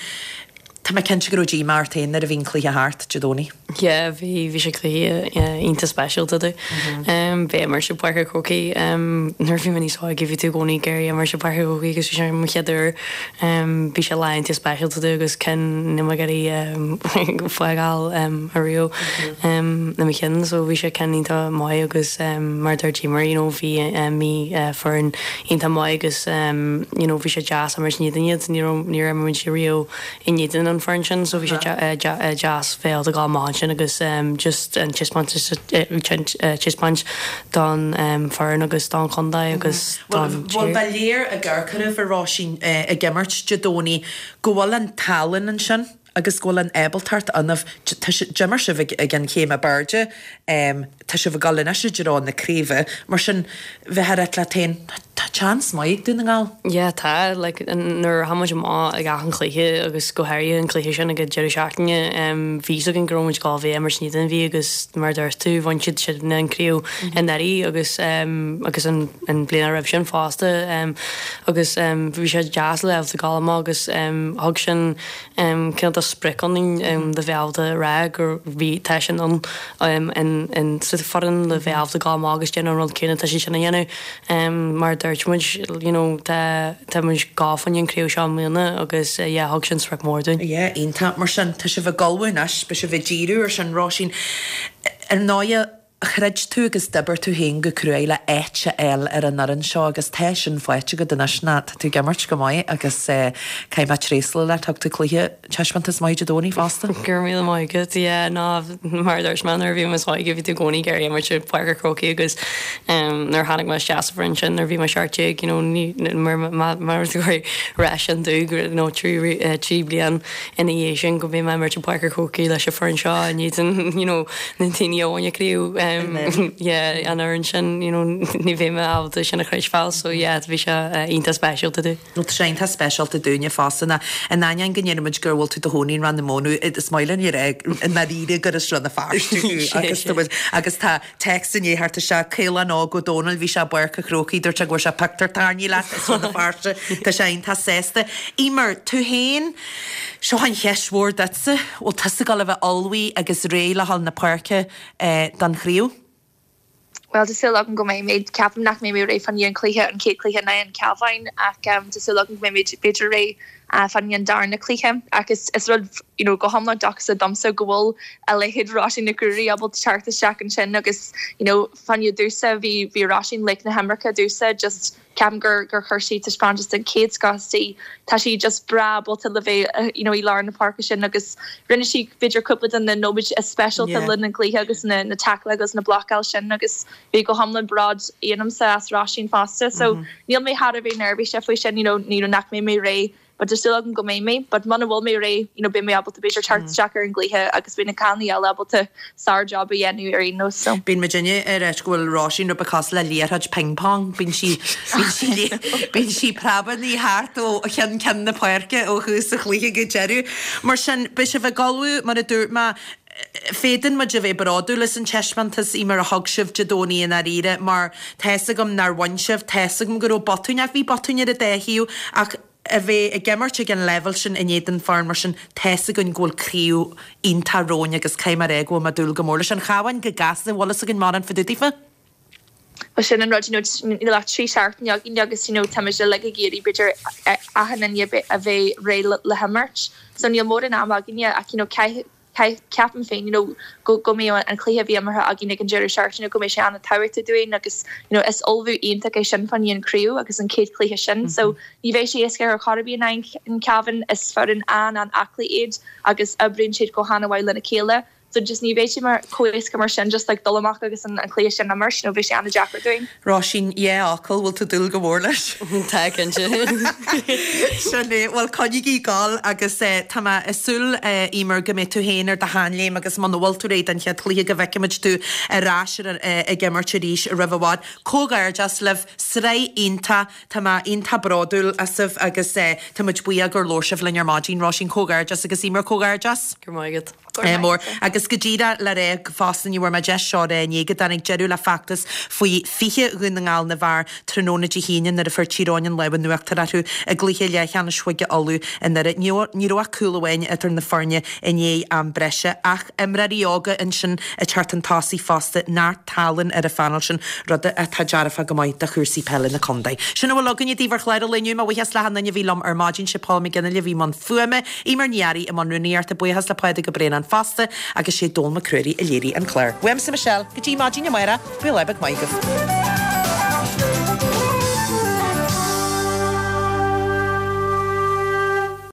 tá mé cinnte go raibh díomá ort féin nuair a bhí an cluiche thart Dé Domhnaigh. Yeah, bhí, bhí sé cluiche iontach speisialta domh. Bheith ag imirt i bPáirc an Chrócaigh nuair a bhí mé níos óige bhí tú i gcónaí ag iarraidh imirt i bPáirc an Chrócaigh agus bhí sé mo chéad uair. Bhí sé lá iontach speisialta domh agus ceann níl mé ag iarraidh fágáil ariamh i mo chinn so bhí sé ceann iontach maith agus mar a dúirt Eimear you know bhí an Mhí foireann iontach maith agus you know bhí sé deas imirt in éadan iad ní raibh níor imir muid riamh in éadan an foireann sin so bhí sé deas bheith ábalta gabháil amach ansin agus just an taispeántas taispeáint don foireann agus don chontae agus don tír. Bhuel ba léir ag amharc oraibh a Róisín ag imirt Dé Domhnaigh go bhfuil an tallann ansin agus go bhfuil an ábaltacht ionaibh. D'imir sibh ag an chéim ab airde, tá sibh ag dul anois i dtreo na craoibhe, mar sin bheifeá ag ráit leat féin, tá chance maith ag Dún na nGall. Yeah tá, like nuair a tháinig muid amach ag achan chluiche agus go háirithe an cluiche sin ag an deireadh seachtaine, bhí fhios againn go raibh muid ag gabháil a bheith ag imirt in éadan an Mhí agus mar a dúirt tú, bhain siad sin an craobh anuraidh agus agus an an bliain roimh sin fosta agus bhí sé deas le bheith ag gabháil amach agus thug sin cineál de sprioc ionainn le bheith ábalta a rá gur bhí, tá sin ann in sa foireann le bheith ábalta gabháil amach agus déanamh an rud céanna atá siad sin a dhéanamh. Mar a dúirt muid, you know, tá, tá muid ag gabháil fá choinne an craobh seo i mbliana agus yeah, thug sin sprioc mór dúinn. Yeah, iontach. Mar sin, tá sibh ag ullmhú anois, beidh sibh ag díriú ar sin, Róisín. Ar ndóighe, Throid tú agus d'oibir tú féin go cruaidh le áit a fháil ar an fhoireann seo agus tá sin faighte agat anois ná tá tú ag imirt go maith agus caithfidh mé tréaslú leat, thug tú cluiche, taispeántas maith Dé Domhnaigh fosta. Go raibh míle maith agat, yeah ná mar a dúirt mé nuair a bhí mé níos óige bhí tú i gcónaí ag iarraidh imirt i bPáirc an Chrócaigh agus nuair a tháinig mé isteach sa bhfoireann sin nuair a bhí mé 17 you know ní mar mar gur rá sin domh go you know 3 bliain ina dhiaidh sin go mbeidh mé ag imirt i bPáirc an Chrócaigh leis an foireann seo in éadan you know na daoine a bhain an craobh. Yeah an fhoireann sin you know ní bheidh mé ábalta sin a chreidbheáil so yeah bhí sé iontach speisialta domh. Nó tá sé iontach speisialta dúinne fosta ná in ainneoin go ndeirimid gur bhfuil tú i do chónaí i Rann na Móna is maith linn a rá i ndáiríre gur as Rann na Feirste thú agus tá muid agus tá Text i ndiaidh theacht isteach, Caolán Óg Ó Dónaill, bhí sé i bPáirc an Chrócaigh, dúirt sé go bhfuair sé pictiúr tarraingthe leat as Rann na Feirste, tá sé iontach sásta. Eimear, tú féin, seo an cheist mhór duitse, bhfuil tusa ag dul a bheith ullmhaithe agus réidh le dhul na páirce don chraobh? Bhuel, tá súil agam go mbeidh mé. Ceapaim nach mbeidh mé réidh fá choinne an cluiche, an chéad cluiche in aghaidh an Cabháin ach tá súil agam go mbeidh mé b'fhéidir réidh fá choinne an darna cluiche. Ach is is rud you know go hiomlán dóchasach domsa go bhfuil a leithéid Róisín Nic Ruairí ábalta teacht isteach ansin agus you know fá choinne domhsa bhí bhí Róisín laoch na himeartha domhsa just ceapaim gur gur chuir sí taispeántas den chéad scoth istigh. Tá sí just breá ábalta le bheith you know i lár na páirce sin agus rinne sí b'fhéidir cúpla de na nóiméid is speisialta le linn an chluiche agus na na tackle agus na blocáil sin agus bhí go hiomlán bród ionamsa as Róisín fosta so níl mé thar a bheith neirbhíseach faoi sin you know you know nach mbeidh mé réidh but tá súil agam go mbeidh mé but muna bhfuil mé réidh you know beidh mé ábalta b'fhéidir teacht isteach ar an gcluiche agus beidh na cailíní eile ábalta sár job a dhéanamh ar aon nós so. Bíonn muidinne ag ráit go bhfuil Róisín rud beag cosúil le liathróid ping pong, bíonn sí bíonn sí bíonn sí preabannaí thart ó cheann ceann na páirce ó thús an chluiche go deireadh. Mar sin beidh sibh ag ullmhú mar a dúirt mé Féadann muid a bheith bródúil as an taispeántas, Eimear, a thug sibh Dé Domhnaigh i ndáiríre, mar tá's agam nár bhain sibh, tá's agam go raibh botúin, ach bhí botúin ar an dá thaobh, ach a bheith ag imirt ag an leibhéal sin in éadan foireann mar sin, tá's againn go bhfuil craobh iontach romhainn agus caithfidh mé a rá go bhfuil mé ag dúil go mór leis. An Chabhán go gasta, bhfuil fhios againn mórán fá dtaobh daofa? Bhuel sin an rud, you know, níl ach 3 seachtaine againn agus you know táimid uilig ag iarraidh b'fhéidir achan duine a bheith réidh le himirt. So níl mórán ama againne ach you know caith, caith, ceapaim féin you know go, go mbeidh an cluiche a bhí imeartha againn ag an deireadh seachtaine go mbeidh sé an-tábhachtach dúinn agus you know is ullmhú iontach é sin fá choinne an craobh agus an chéad chluiche sin. So ní bheidh sé éasca ar chor ar bith in aghaidh an Cabhán, is foireann an-an-aclaí iad agus oibríonn siad go han-mhaith lena chéile. So just ní bheidh sé mar chomh éasca mar sin just like dul amach agus an an cluiche sin a imirt, you know, bheadh sé an-deacair dúinn. Róisín, dhá fhocal, bhfuil tú ag dúil go mór leis? Tá, cinnte. Sin é, bhuel coinnígí ag gabháil agus eh tá mé ag súil eh Eimear go mbeidh tú féin ar do sheanléim agus muna bhfuil tú réidh don chéad chluiche go bhfeicfimid tú ar ais ar eh ag imirt arís roimh i bhfad. Comhghairdeas libh, sraith iontach, tá mé iontach bródúil asaibh agus eh tá muid buíoch gur labhair sibh linn ar maidin, Róisín comhghairdeas agus Eimear comhghairdeas. Go raibh maith agat. Mór. Agus go díreach le rá fosta ní bhfuair mé deis seo a rá inné go dtáinig deireadh le feachtas faoi 20 Dhún na nGall na bhfear tráthnóna Dé hAoine nuair a fuair Tír Eoghain an lámh in uachtar orthu i gcluiche leathcheannais Chúige Uladh i nDoire. Ní raibh ach cúl amháin idir na foirne i ndiaidh am breise ach imreoirí óga ansin ag teacht chun tosaigh fosta, neart tallann ar an phainéal sin, rud atá dearfach go maith do chúrsaí peile na contae. Sin a bhfuil againne daoibh ar chlár an lae inniu. Mo bhuíochas le hachan duine a bhí liom ar maidin, sé Paul McGinley a bhí i mbun fuaime, Eimear Ní Fhearraigh i mbun rúnaíochta, buíochas le Pádraig Ó Braonáin fosta agus sé Dónal Mac Ruairí a léirigh an clár. Uaimse Michelle, go dtí maidin amárach, bíodh lá beag maith agaibh.